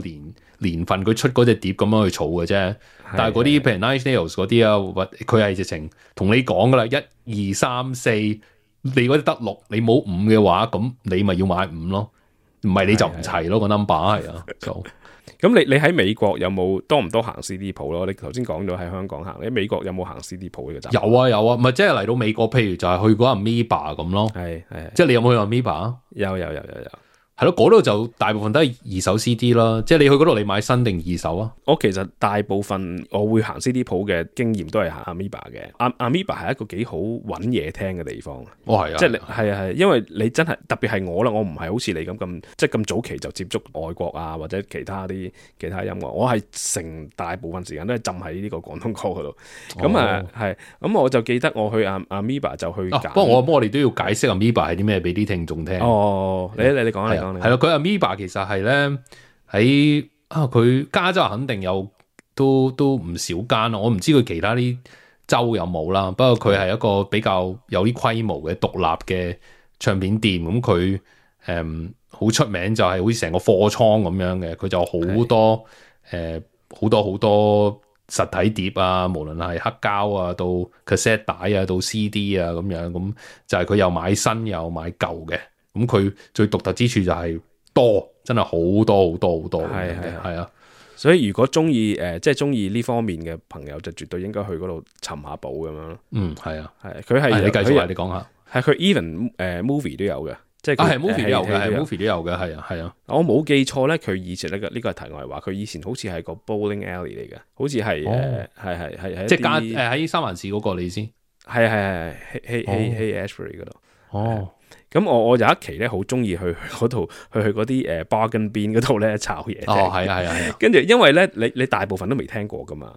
年份佢出嗰隻碟咁樣去儲嘅啫。但係嗰啲譬如 Nine Inch Nails 嗰啲啊，佢係直情同你講噶啦，1、2、3、4，你嗰啲得6，你冇5嘅話，咁你咪要買5咯，唔係你就唔齊咯個 number 係啊。咁你喺美國有冇多唔多行 CD 鋪咯？你頭先講咗喺香港行，你喺美國有冇行 CD 鋪呢個站？有啊，咪即係嚟到美國，譬如就係去嗰 Amoeba 咁咯。係，即係你有冇去 Amoeba 啊？有。係咯，嗰度就大部分都係二手 CD 啦，即係你去嗰度你買新定二手啊？我其實大部分我會行 CD 鋪嘅經驗都係行 Amoeba 嘅。Amoeba 係一個幾好揾嘢聽嘅地方。係啊，即係係因為你真係特別係我啦，我唔係好似你咁即係咁早期就接觸外國啊或者其他音樂，我係成大部分時間都係浸喺呢個廣東歌嗰度。咁係，咁我就記得我去 Amoeba 就去揀。不過我哋都要解釋 Amoeba 係啲咩俾啲聽眾聽。你講啊。係咯，佢 Amoeba 其實係咧喺佢加州肯定有都唔少間咯，我唔知佢其他啲州有冇啦。不過佢係一個比較有啲規模嘅獨立嘅唱片店，咁佢好出名就係好似成個貨倉咁樣嘅，佢就好多好多實體碟啊，無論係黑膠啊到 cassette 帶啊到 CD 啊咁樣，咁就係佢又買新又買舊嘅。咁佢最獨特之處就係多，真係好多，係啊！所以如果中意即係中意呢方面嘅朋友，就絕對應該去嗰度尋下寶咁樣。係啊，佢係你繼續你講下，係佢 even movie 都有嘅，即係係 movie 都有嘅，movie 都有嘅，係啊。我冇記錯咧，佢以前呢個係題外話，佢以前好似係個 bowling alley 嚟嘅，好似係係即係喺三藩市嗰個你先，係 Haight-Ashbury 嗰度。咁我有一期咧，好中意去嗰度，去嗰啲bargain bin 嗰度咧炒嘢。係啊。跟住因為咧，你大部分都未聽過噶嘛。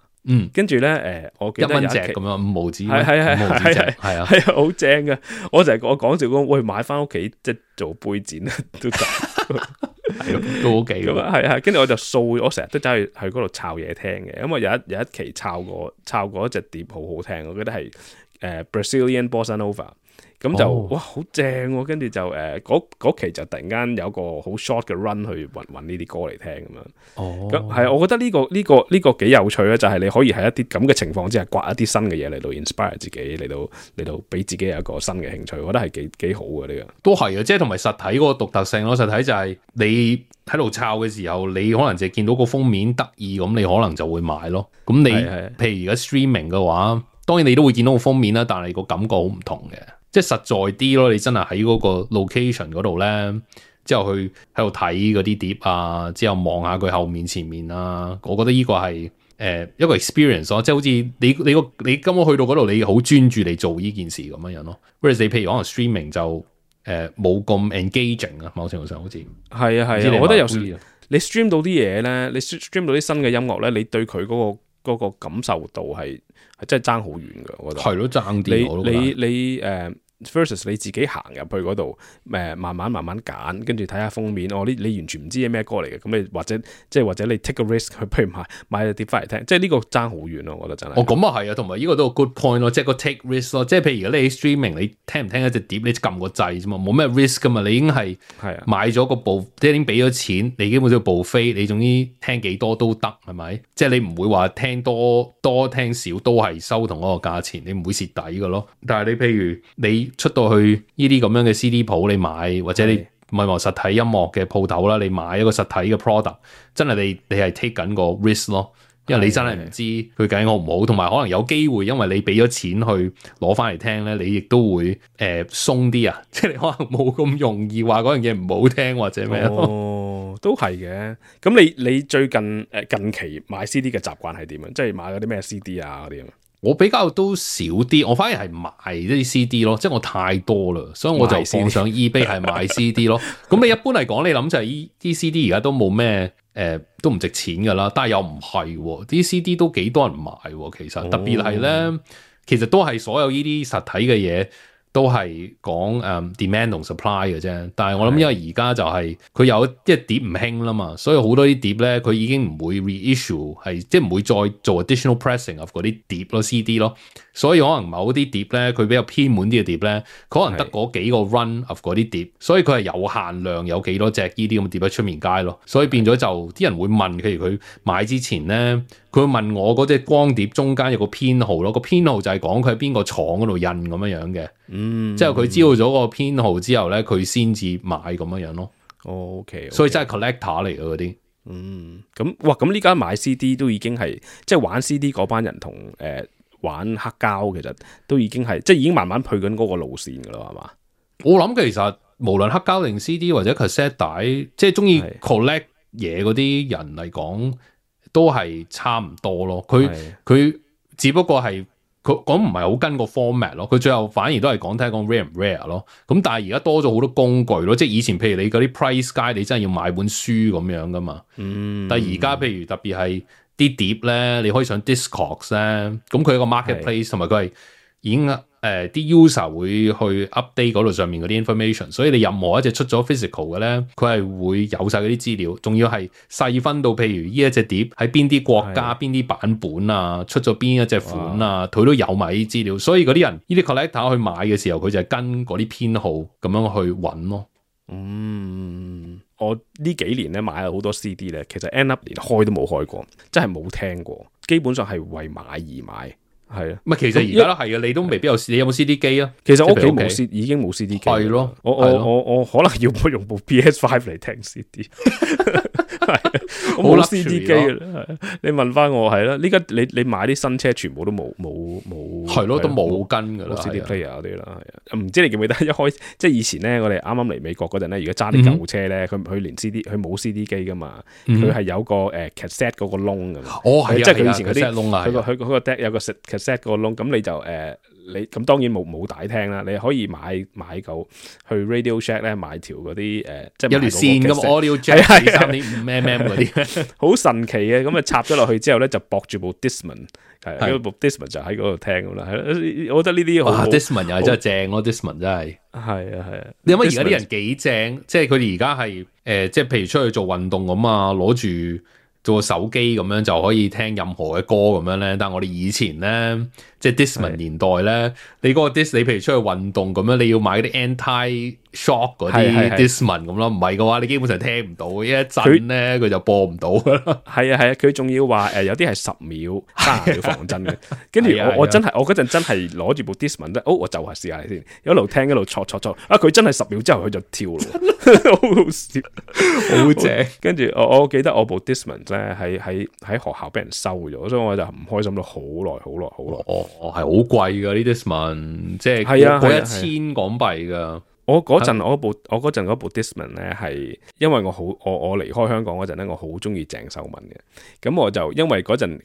跟住咧，我記得有一期咁樣5毫子，係啊，好正噶。我就係我講笑講，喂，買翻屋企即係做杯墊都得，係都好幾噶嘛。係。跟住我就掃，我成日都走去嗰度炒嘢聽嘅。因為有一期炒過一隻碟好好聽，我覺得係Brazilian Bossa Nova。
咁就哇好正喎，跟住就嗰期就突然間有個好 short 嘅 run 去揾呢啲歌嚟聽咁樣。咁係我覺得呢個幾有趣咧，就係你可以喺一啲咁嘅情況之下刮一啲新嘅嘢嚟到 inspire 自己，嚟到俾自己有一個新嘅興趣，我覺得係幾好嘅呢個。
都係啊，即係同埋實體嗰個獨特性咯。實體就係你喺度抄嘅時候，你可能就見到個封面得意，咁你可能就會買咯。咁你譬如而家 streaming 嘅話，當然你都會見到個封面啦，但係個感覺好唔同嘅。即係實在啲咯，你真係喺嗰個 location 嗰度咧，之後去喺度睇嗰啲碟啊，之後望下佢後面前面啊，我覺得呢個係一個 experience 咯，即係好似你今日去到嗰度，你好專注嚟做呢件事咁樣咯。whereas 你譬如可能 streaming 就冇咁 engaging 啊，某程度上好似
係啊，我覺得有時你 stream 到啲嘢咧，你 stream 到啲新嘅音樂咧，你對佢嗰個感受度係真係爭好遠㗎，我覺得係
咯，爭啲
你versus 你自己行入去嗰度，慢慢揀，跟住睇下封面，你完全唔知係咩歌嚟嘅，咁你或者你 take a risk 去，譬如買隻碟翻嚟聽，即係呢個爭好遠咯，我覺得真係。
咁啊係啊，同埋呢個都係 good point 咯，即係個 take risk 咯，即係譬如你喺 streaming，你聽唔聽一隻碟，你撳個掣啫嘛，冇咩 risk 噶嘛，你已經係買咗個部，即係已經俾咗錢，你基本上部飛，你總之聽幾多都得，係咪？即係你唔會話聽多聽少都係收同嗰個價錢，你唔會蝕底噶咯。但係你譬如你出到去呢啲咁樣嘅 CD 鋪，你買或者你唔係話實體音樂嘅鋪頭啦，你買一個實體嘅 product， 真係你係 take 緊個 risk 咯，因為你真係唔知佢究竟好唔好，同埋可能有機會，因為你俾咗錢去攞翻嚟聽咧，你亦都會鬆啲啊，即係你可能冇咁容易話嗰樣嘢唔好聽或者咩咯。
都係嘅。咁你最近期買 CD 嘅習慣係點啊？即係買嗰啲咩 CD 啊嗰啲啊？
我比較都少啲，我反而係賣啲 CD 咯，即係我太多啦，所以我就放上 eBay 係賣 CD 咯。咁你一般嚟講，你諗就係啲 CD 而家都冇咩都唔值錢噶啦，但係又唔係，啲 CD 都幾多人買，其實特別係咧，其實都係所有呢啲實體嘅嘢。都係講demand 同 supply 嘅啫，但係我諗因為而家就係佢有即係碟唔興啦嘛，所以好多啲碟咧佢已經唔會 reissue， 係即係唔會再做 additional pressing of 嗰啲碟咯 CD 咯，所以可能某啲碟咧佢比較偏門啲嘅碟咧，可能得嗰幾個 run of 嗰啲碟，所以佢係有限量有幾多隻呢啲咁嘅碟喺出面街咯，所以變咗就啲人會問，譬如佢買之前咧。佢問我嗰隻光碟中間有個編號咯，個編號就係講佢喺邊個廠嗰度印咁樣樣嘅，之後佢知道咗個編號之後咧，佢先至買咁樣樣咯。
OK，
所以真係 collector 嚟嘅嗰啲。
咁呢家買 CD 都已經係即係玩 CD 嗰班人同玩黑膠，其實都已經係即係已經慢慢去緊嗰個路線噶啦，係嘛？
我諗其實無論黑膠定 CD 或者 cassette 帶，即係中意 collect 嘢嗰啲人嚟講。都係差唔多咯，佢只不過係佢講唔係好跟個 format 咯，佢最後反而都係講睇講 rare 唔 rare 咯。咁但係而家多咗好多工具咯，即係以前譬如你嗰啲 price guide，你真係要買本書咁樣噶嘛。但係而家譬如特別係啲碟咧，你可以上 Discogs 咧，咁佢有個 marketplace，同埋佢係已經啲 user 會去 update 嗰度上面嗰啲 information， 所以你任何一隻出咗 physical 嘅咧，佢係會有晒嗰啲資料，仲要係細分到譬如呢一隻碟喺邊啲國家邊啲版本啊，出咗邊一隻款啊，佢都有埋啲資料，所以嗰啲人呢啲 collector 去買嘅時候，佢就係跟嗰啲編號咁樣去揾咯。
我呢幾年咧買咗好多 CD 咧，其實 end up 連開都冇開過，真係冇聽過，基本上係為買而買。係啊，
其實而家都係嘅，你都未必有，你有冇 CD 機啊？
其實我屋企冇 CD，已經冇 CD 機。係咯，我可能要用部 PS5 嚟聽 CD。我冇 CD 機嘅啦。你問翻我係啦，呢家你買啲新車全部都冇，
係咯，都冇跟噶啦
，CD player 嗰啲啦，係啊。唔知你記唔記得一開即係以前咧，我哋啱啱嚟美國嗰陣咧，如果揸啲舊車咧，佢連 CD 佢冇 CD 機噶嘛，佢係有個cassette 嗰個窿噶嘛。
係
即係佢以前嗰啲
窿啊，
佢個 deck 有個 cassette 個窿，咁你就你咁當然冇帶聽啦，你可以買嚿去 Radio Shack 咧買條嗰啲即係
有條線咁 Audio Jack 3.5mm 嗰啲，
好神奇嘅，咁啊插咗落去之後咧就駁住部 Discman， 係嗰部 Discman 就喺嗰度聽咁啦，係我覺得呢啲好
Discman 又係真係正咯 Discman 真係
係啊，
你諗下而家啲人幾正，即係佢哋而家係即係譬如出去做運動咁啊，攞住做個手機咁樣就可以聽任何嘅歌咁樣咧。但係我哋以前咧，即係 Discman 年代咧，你嗰個 Dis， 你譬如出去運動咁樣，你要買嗰啲 anti-shock 嗰啲 Discman 咁咯，唔係嘅話，你基本上聽唔到，一震咧佢就播唔到噶啦。
係啊，佢仲要話有啲係10秒、30秒防震嘅。跟住我嗰陣真係攞住部 Discman 咧，我就係試下先，一路聽一路戳，佢真係10秒之後佢就跳咯，好好笑，
好正。
跟住我記得我部 Discman 咧喺學校俾人收咗，所以我就唔開心咗好耐。
係好貴噶呢 Discman，即係過1000港幣噶。
我嗰陣嗰部 Discman 咧係因為我離開香港嗰陣咧，我好中意鄭秀文嘅，咁我就因為嗰陣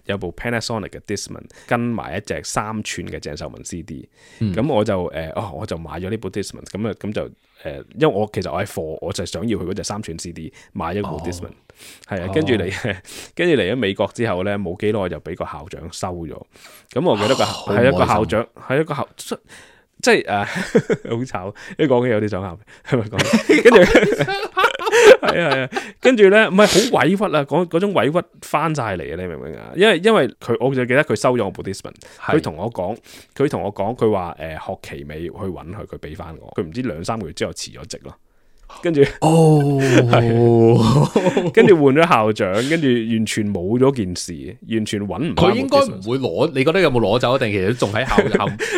有部 Panasonic 嘅 Discman 跟埋一隻3寸嘅鄭秀文 CD，咁我就我就買咗呢部 Discman，咁就因為我其實我係貨，我就想要佢嗰隻3寸 CD， 買咗部 Discman， 係啊，跟住嚟咗美國之後咧，冇幾耐就俾個校長收咗，咁我記得係一個校長，係一個校。即係好慘，一講起有啲想喊，係咪講？跟住係啊，跟住咧唔係好委屈啊，嗰種委屈翻晒嚟啊！你明唔明啊？因為我就記得佢收咗我部 Discman， 佢同我講，佢話學期尾去揾佢俾翻我，佢唔知2-3個月之後辭咗職咯。跟住跟住換咗校長，跟住完全冇咗件事，完全揾唔到。
佢應該唔會攞，你覺得有冇攞走？定其實仲喺校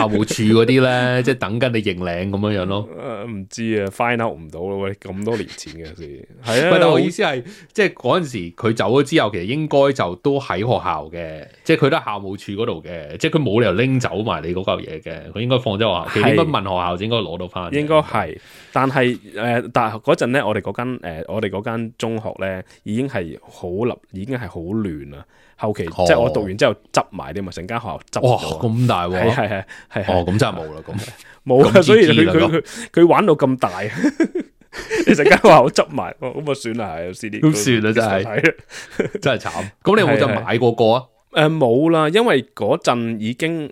務處嗰啲咧，即係等緊你認領咁樣咯？
唔知啊 ，find out 唔到咯。喂，咁多年前嘅事，係啊。
但我意思係，即係嗰陣時佢走咗之後，其實應該就都喺學校嘅，即係佢都喺校務處嗰度嘅，即係佢冇理由拎走埋你嗰嚿嘢嘅，佢應該放咗學校。其實應該問學校就應該攞到翻。
應該係，但係嗰陣咧，我哋嗰間中學咧，已經係好亂啦。後期即係我讀完之後執埋啲嘛，成間學校執咗。哇，
咁大喎！
係。
哦，咁真係冇啦，咁
冇啦，所以佢玩到咁大，你成間學校執埋，咁啊算啦，係 CD。
咁算啦，真係慘。咁你有冇就買過個啊？
冇啦，因為嗰陣已經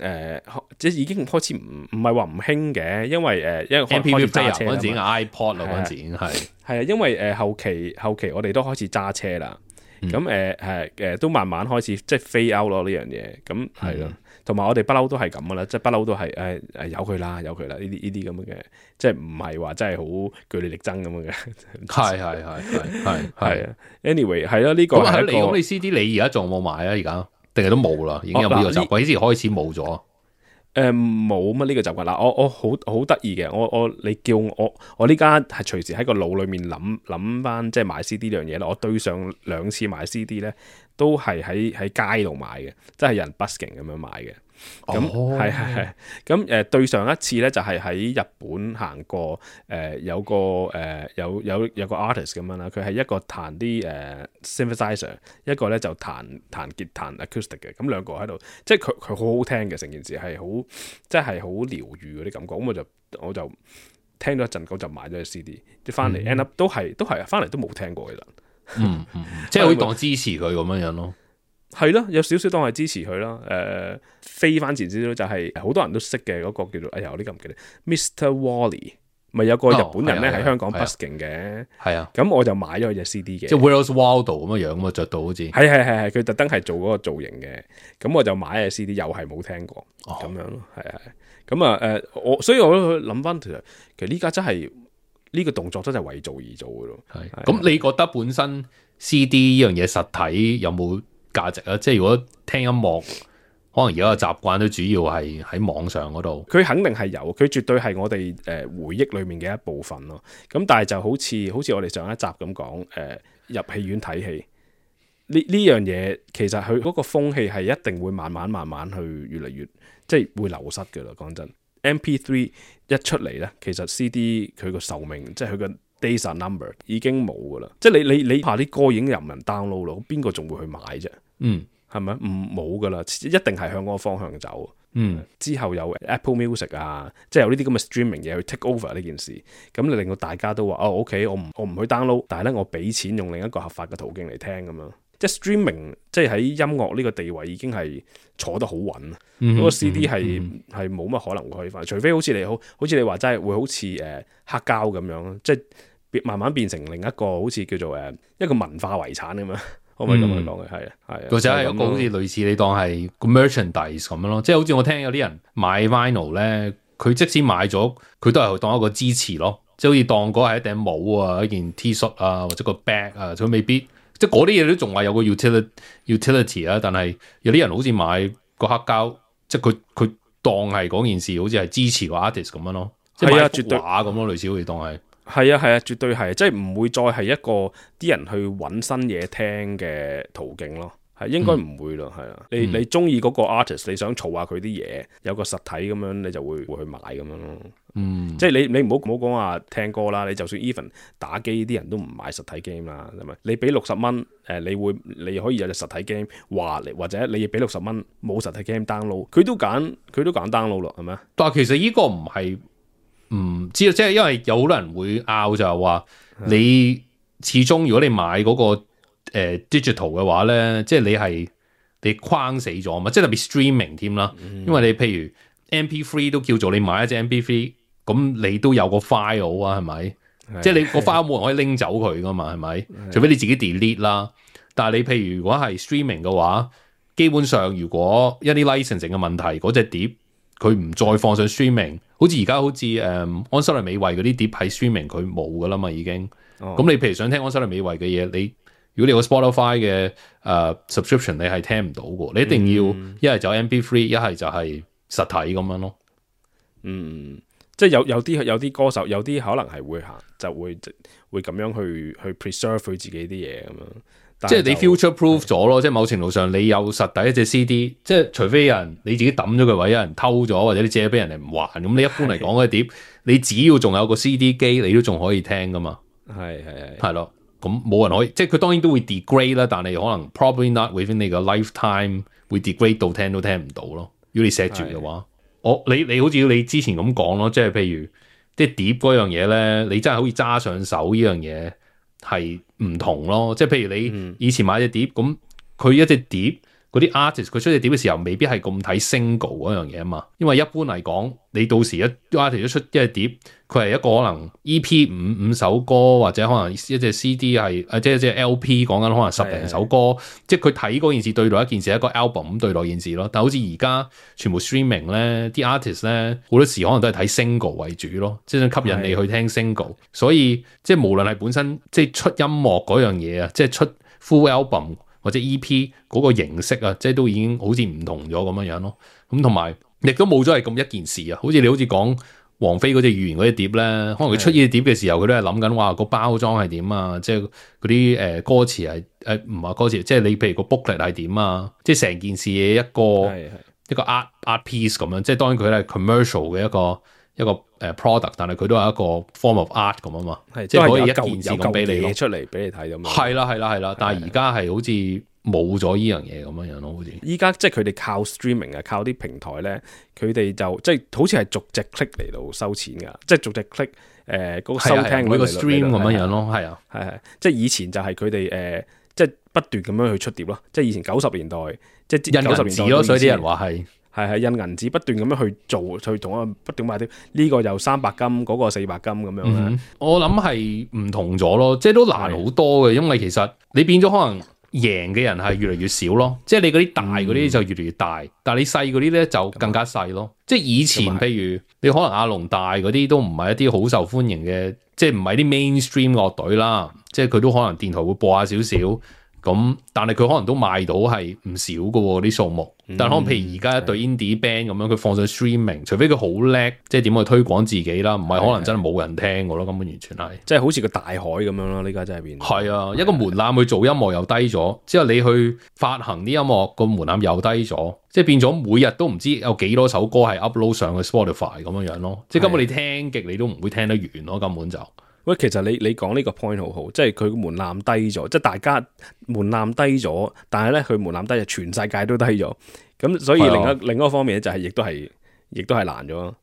即係已經開始唔係話唔興嘅，因為
MP3 player嗰陣時 iPod 啦，嗰陣時已經係
啊，因為後期我哋都開始揸車啦，咁都慢慢開始即係 fade out 咯呢樣嘢，咁係咯，同埋我哋不嬲都係咁噶啦，即係不嬲都係由佢啦呢啲咁嘅，即係唔係話真係好據理力爭咁樣嘅，係啊 ，anyway 係咯，呢個係一個。
咁你 CD 你而家仲有冇買啊？而家？定係都冇啦，已經有呢個習慣，幾時開始冇咗？
冇乜呢個習慣啦。我好得意嘅，你叫我呢家係隨時喺個腦裏面諗翻，即係買 CD 呢樣嘢啦。我對上2次買 CD 咧，都係喺街度買嘅，即係有人 busking 咁樣買嘅。咁係咁對上一次咧就係喺日本行過，有個有個 artist 咁樣啦，佢係一個彈啲synthesizer， 一個咧就彈吉他 acoustic 嘅，咁兩個喺度，即係佢好好聽嘅，成件事係好即係好療愈嗰啲感覺，咁我就聽咗一陣，就買咗隻 CD， 即係翻嚟 end up 都係翻嚟都冇聽過其實，
即係可以當支持佢咁樣咯。
係咯，有少少當係支持佢咯。飛翻前少少就係好多人都識嘅嗰個叫做我呢個唔記得 Mr. Wally， 咪有個日本人咧喺香港 busking 嘅。係啊，咁我就買咗佢隻 CD 嘅，
即係 Where's Waldo 咁嘅樣嘛，着到好似
係佢特登係做嗰個造型嘅。咁我就買隻 CD， 又係冇聽過咁樣咯。係咁所以我都諗翻其實呢家真係呢個動作真係為做而做嘅咯。
咁你覺得本身 CD 呢樣嘢實體有冇價值啊？即係如果聽音樂，可能而家嘅習慣都主要係喺網上嗰度。佢
肯定係有，佢絕對係我哋回憶裏面嘅一部分咯。咁但係就好似我哋上一集咁講，入戲院睇戲呢樣嘢，其實佢嗰個風氣係一定會慢慢去越嚟越即係會流失噶啦。講真，MP3 一出嚟咧，其實 CD 佢個壽命即係佢個 days are number 已經冇噶啦。即係你怕啲歌已經有人 download 咯，邊個仲會去買啫？係咪？冇噶啦，一定係向嗰個方向走。之後有 Apple Music 啊，即係有呢啲咁嘅 streaming 嘢去 take over 呢件事，咁你令到大家都話OK，我唔去 download， 但係咧我俾錢用另一個合法嘅途徑嚟聽咁樣。即係 streaming，即係喺音樂呢個地位已經係坐得好穩。嗰個 CD 係冇乜可能會可以翻，除非好似你話齋會好似黑膠咁樣，即係慢慢變成另一個好似叫做一個文化遺產咁樣。可唔可以咁樣講嘅？係啊，係啊，
或者係一個好似類似你當係個 merchandise 咁樣咯，即係好似我聽有啲人買 vinyl 咧，佢即使買咗，佢都係當一個支持咯，即係好似當嗰係一頂帽啊、一件 T 恤啊或者個 bag 啊，佢未必即係嗰啲嘢都仲話有個 utility 啊，但係有啲人好似買個黑膠，即係佢當係嗰件事好似係支持個 artist 咁樣咯，即係買幅畫咁咯，類似好似當係。
係啊係啊，絕對係，即係唔會再係一個啲人去揾新嘢聽嘅途徑咯，係應該唔會咯，係啊，你中意嗰個 artist， 你想儲下佢啲嘢，有個實體咁樣，你就會去買咁樣咯。即係你唔好講話聽歌啦，你就算 even 打機啲人都唔買實體 game 啦，係咪？你俾60蚊，你可以有隻實體 game 或者你俾60蚊冇實體 game download，佢都揀 download 咯，係咪？
但係其實呢個唔係。唔知啊，即係因為有好多人會拗就係話，你始終如果你買嗰個digital 嘅話咧，即係你框死咗嘛，即係特別 streaming 添啦。因為你譬如 MP3 都叫做你買一隻 MP3，咁你都有個 file 啊，係咪？即係你個 file 冇人可以拎走佢噶嘛，係咪？除非你自己 delete 啦。但係你譬如如果係 streaming 嘅話，基本上如果一啲 licensing 嘅問題，嗰隻碟佢唔再放上 streaming。好似而家好似安室奈美惠嗰啲碟喺 streaming 佢冇噶啦嘛已經，咁你譬如想聽安室奈美惠嘅嘢，如果你有個 Spotify 嘅subscription 你係聽唔到嘅，你一定要一係就 MP3，一係就係實體咁樣咯。
即係有啲歌手有啲可能係會行就會咁樣去 preserve 佢自己啲嘢咁樣。
即係你 future proof 咗咯，即係某程度上你有實體一隻 CD，即係除非有人你自己抌咗佢，或者有人偷咗，或者你借俾人哋唔還，咁你一般嚟講嗰碟，你只要仲有個 CD 機，你都仲可以聽噶嘛。係咯，咁冇人可以，即係佢當然都會 degrade 啦，但係可能 probably not within 你個 lifetime 會 degrade 到聽都聽唔到咯。如果你錫住嘅話，你好似你之前咁講咯，即係譬如即係碟嗰樣嘢咧，你真係好似揸上手呢樣嘢。係唔同咯，即係譬如你以前買隻碟，咁佢一隻碟嗰啲 artist 佢出隻碟嘅時候，未必係咁睇 single 嗰樣嘢啊嘛。因為一般嚟講，你到時一 artist 出一隻碟，佢係一個可能 EP 五首歌，或者可能一隻 CD 係即係一隻 LP 講緊可能10零首歌，即係佢睇嗰件事對待一件事係一個 album 咁對待件事咯。但係好似而家全部 streaming 咧，啲 artist 咧好多時可能都係睇 single 為主咯，即係想吸引你去聽 single。所以即係無論係本身即係出音樂嗰樣嘢啊，即係出 full album 或者 EP 嗰個形式啊，即係都已經好似唔同咗咁樣咯。咁同埋亦都冇咗係咁一件事啊。好似你好似講王菲嗰隻預言嗰隻碟咧，可能佢出呢隻碟嘅時候，佢都係諗緊話個包裝係點啊，即係嗰啲歌詞係唔係歌詞，即係你譬如個 booklet 係點啊，即係成件事嘅一個 art piece 咁樣。即係當然佢係 commercial 嘅一個product， 但係佢都係一個 form of art 咁啊嘛，即係可以一件事咁俾你
出嚟俾你睇咁。
係啦，但係而家係好似冇咗呢樣嘢咁樣咯，好似
依家即係佢哋靠 streaming 啊，靠啲平台咧，佢哋就即係好似係逐隻 click 嚟到收錢噶，即係逐隻 click 嗰個收聽
每個 stream 咁樣咯，係
即係以前就係佢哋即係不斷咁樣去出碟咯，即係以前90年代即係
印銀紙咯，所以啲人話
係印銀紙不斷咁樣去做，去同啊不斷買啲呢個又300金，嗰個400金咁樣。
我諗係唔同咗咯，即係都難好多嘅，因為其實你變咗可能贏嘅人係越嚟越少咯，即係你嗰啲大嗰啲就越嚟越大，但係你細嗰啲咧就更加細咯。即係以前譬如你可能阿龍大嗰啲都唔係一啲好受歡迎嘅，即係唔係啲 mainstream 樂隊啦，即係佢都可能電台會播下少少。咁，但係佢可能都賣到係唔少嘅喎啲數目，但係可能譬如而家一隊 indie band 咁樣，佢放上 streaming，除非佢好叻，即係點去推廣自己啦，唔係可能真係冇人聽嘅咯，根本完全係，
即係好似個大海咁樣咯，呢家真係變。
係啊，一個門檻去做音樂又低咗，之後你去發行啲音樂個門檻又低咗，即係變咗每日都唔知有幾多首歌係 upload 上去 Spotify 咁樣咯，即係根本你聽極你都唔會聽得完咯，根本就。
喂，其實你講呢個 point 好好，即係佢門檻低咗，即係大家門檻低咗，但係咧佢門檻低咗，全世界都低咗，咁所以另一個方面咧就係亦都係難咗，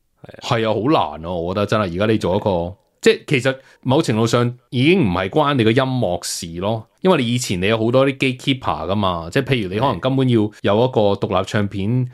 係啊，好難啊，我覺得真係而家你做一個，即係其實某程度上已經唔係關你個音樂事咯，因為你以前你有好多啲 gatekeeper 噶嘛，即係譬如你可能根本要有一個獨立唱片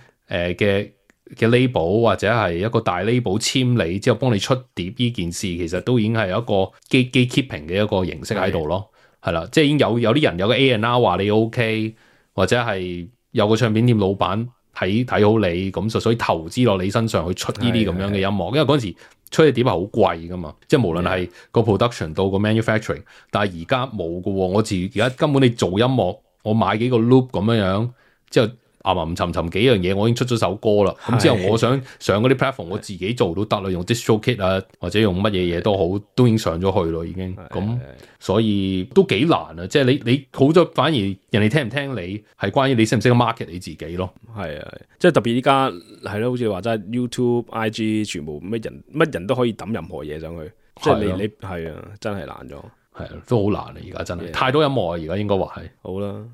嘅 label 或者係一個大 label 簽你之後幫你出碟呢件事，其實都已經係一個 gatekeeping 嘅一個形式喺度咯。係啦，即係已經有啲人有個 A&R 話你 OK， 或者係有個唱片店老闆睇好你，咁就所以投資落你身上去出呢啲咁樣嘅音樂，因為嗰陣時出嘅碟係好貴噶嘛，即係無論係個 production 到個 manufacturing， 但係而家冇噶喎，我而家根本你做音樂，我買幾個 loop 咁樣之後。沉幾樣嘢，我已經出咗首歌啦。咁之後我想上嗰啲 platform， 我自己做都得啦，用 DistroKid 啊，或者用乜嘢都好，都已經上咗去咯，已經。咁所以都幾難啊！即係你好咗，反而人哋聽唔聽你係關於你識唔識得 market 你自己咯。
係啊，即係特別依家係咯，好似話齋 YouTube、IG 全部乜人都可以抌任何嘢上去，即係你係啊，真係難咗。
係啊，都好難啊！而家真係太多音樂啊！而家應該話係
好啦。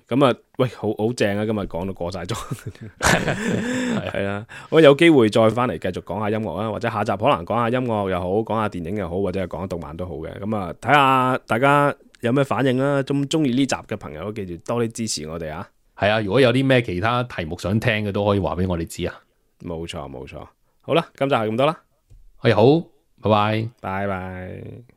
咁啊，喂，好正啊！今日講到過晒咗，係啊，我有機會再翻嚟繼續講下音樂啊，或者下集可能講下音樂又好，講下電影又好，或者係講下動漫都好嘅。咁啊，睇下大家有咩反應啦。中意呢集嘅朋友，記住多啲支持我哋啊！
係啊，如果有啲咩其他題目想聽嘅，都可以話俾我哋知啊。
冇錯。好啦，今集係咁多啦。
係好，拜拜。
拜拜。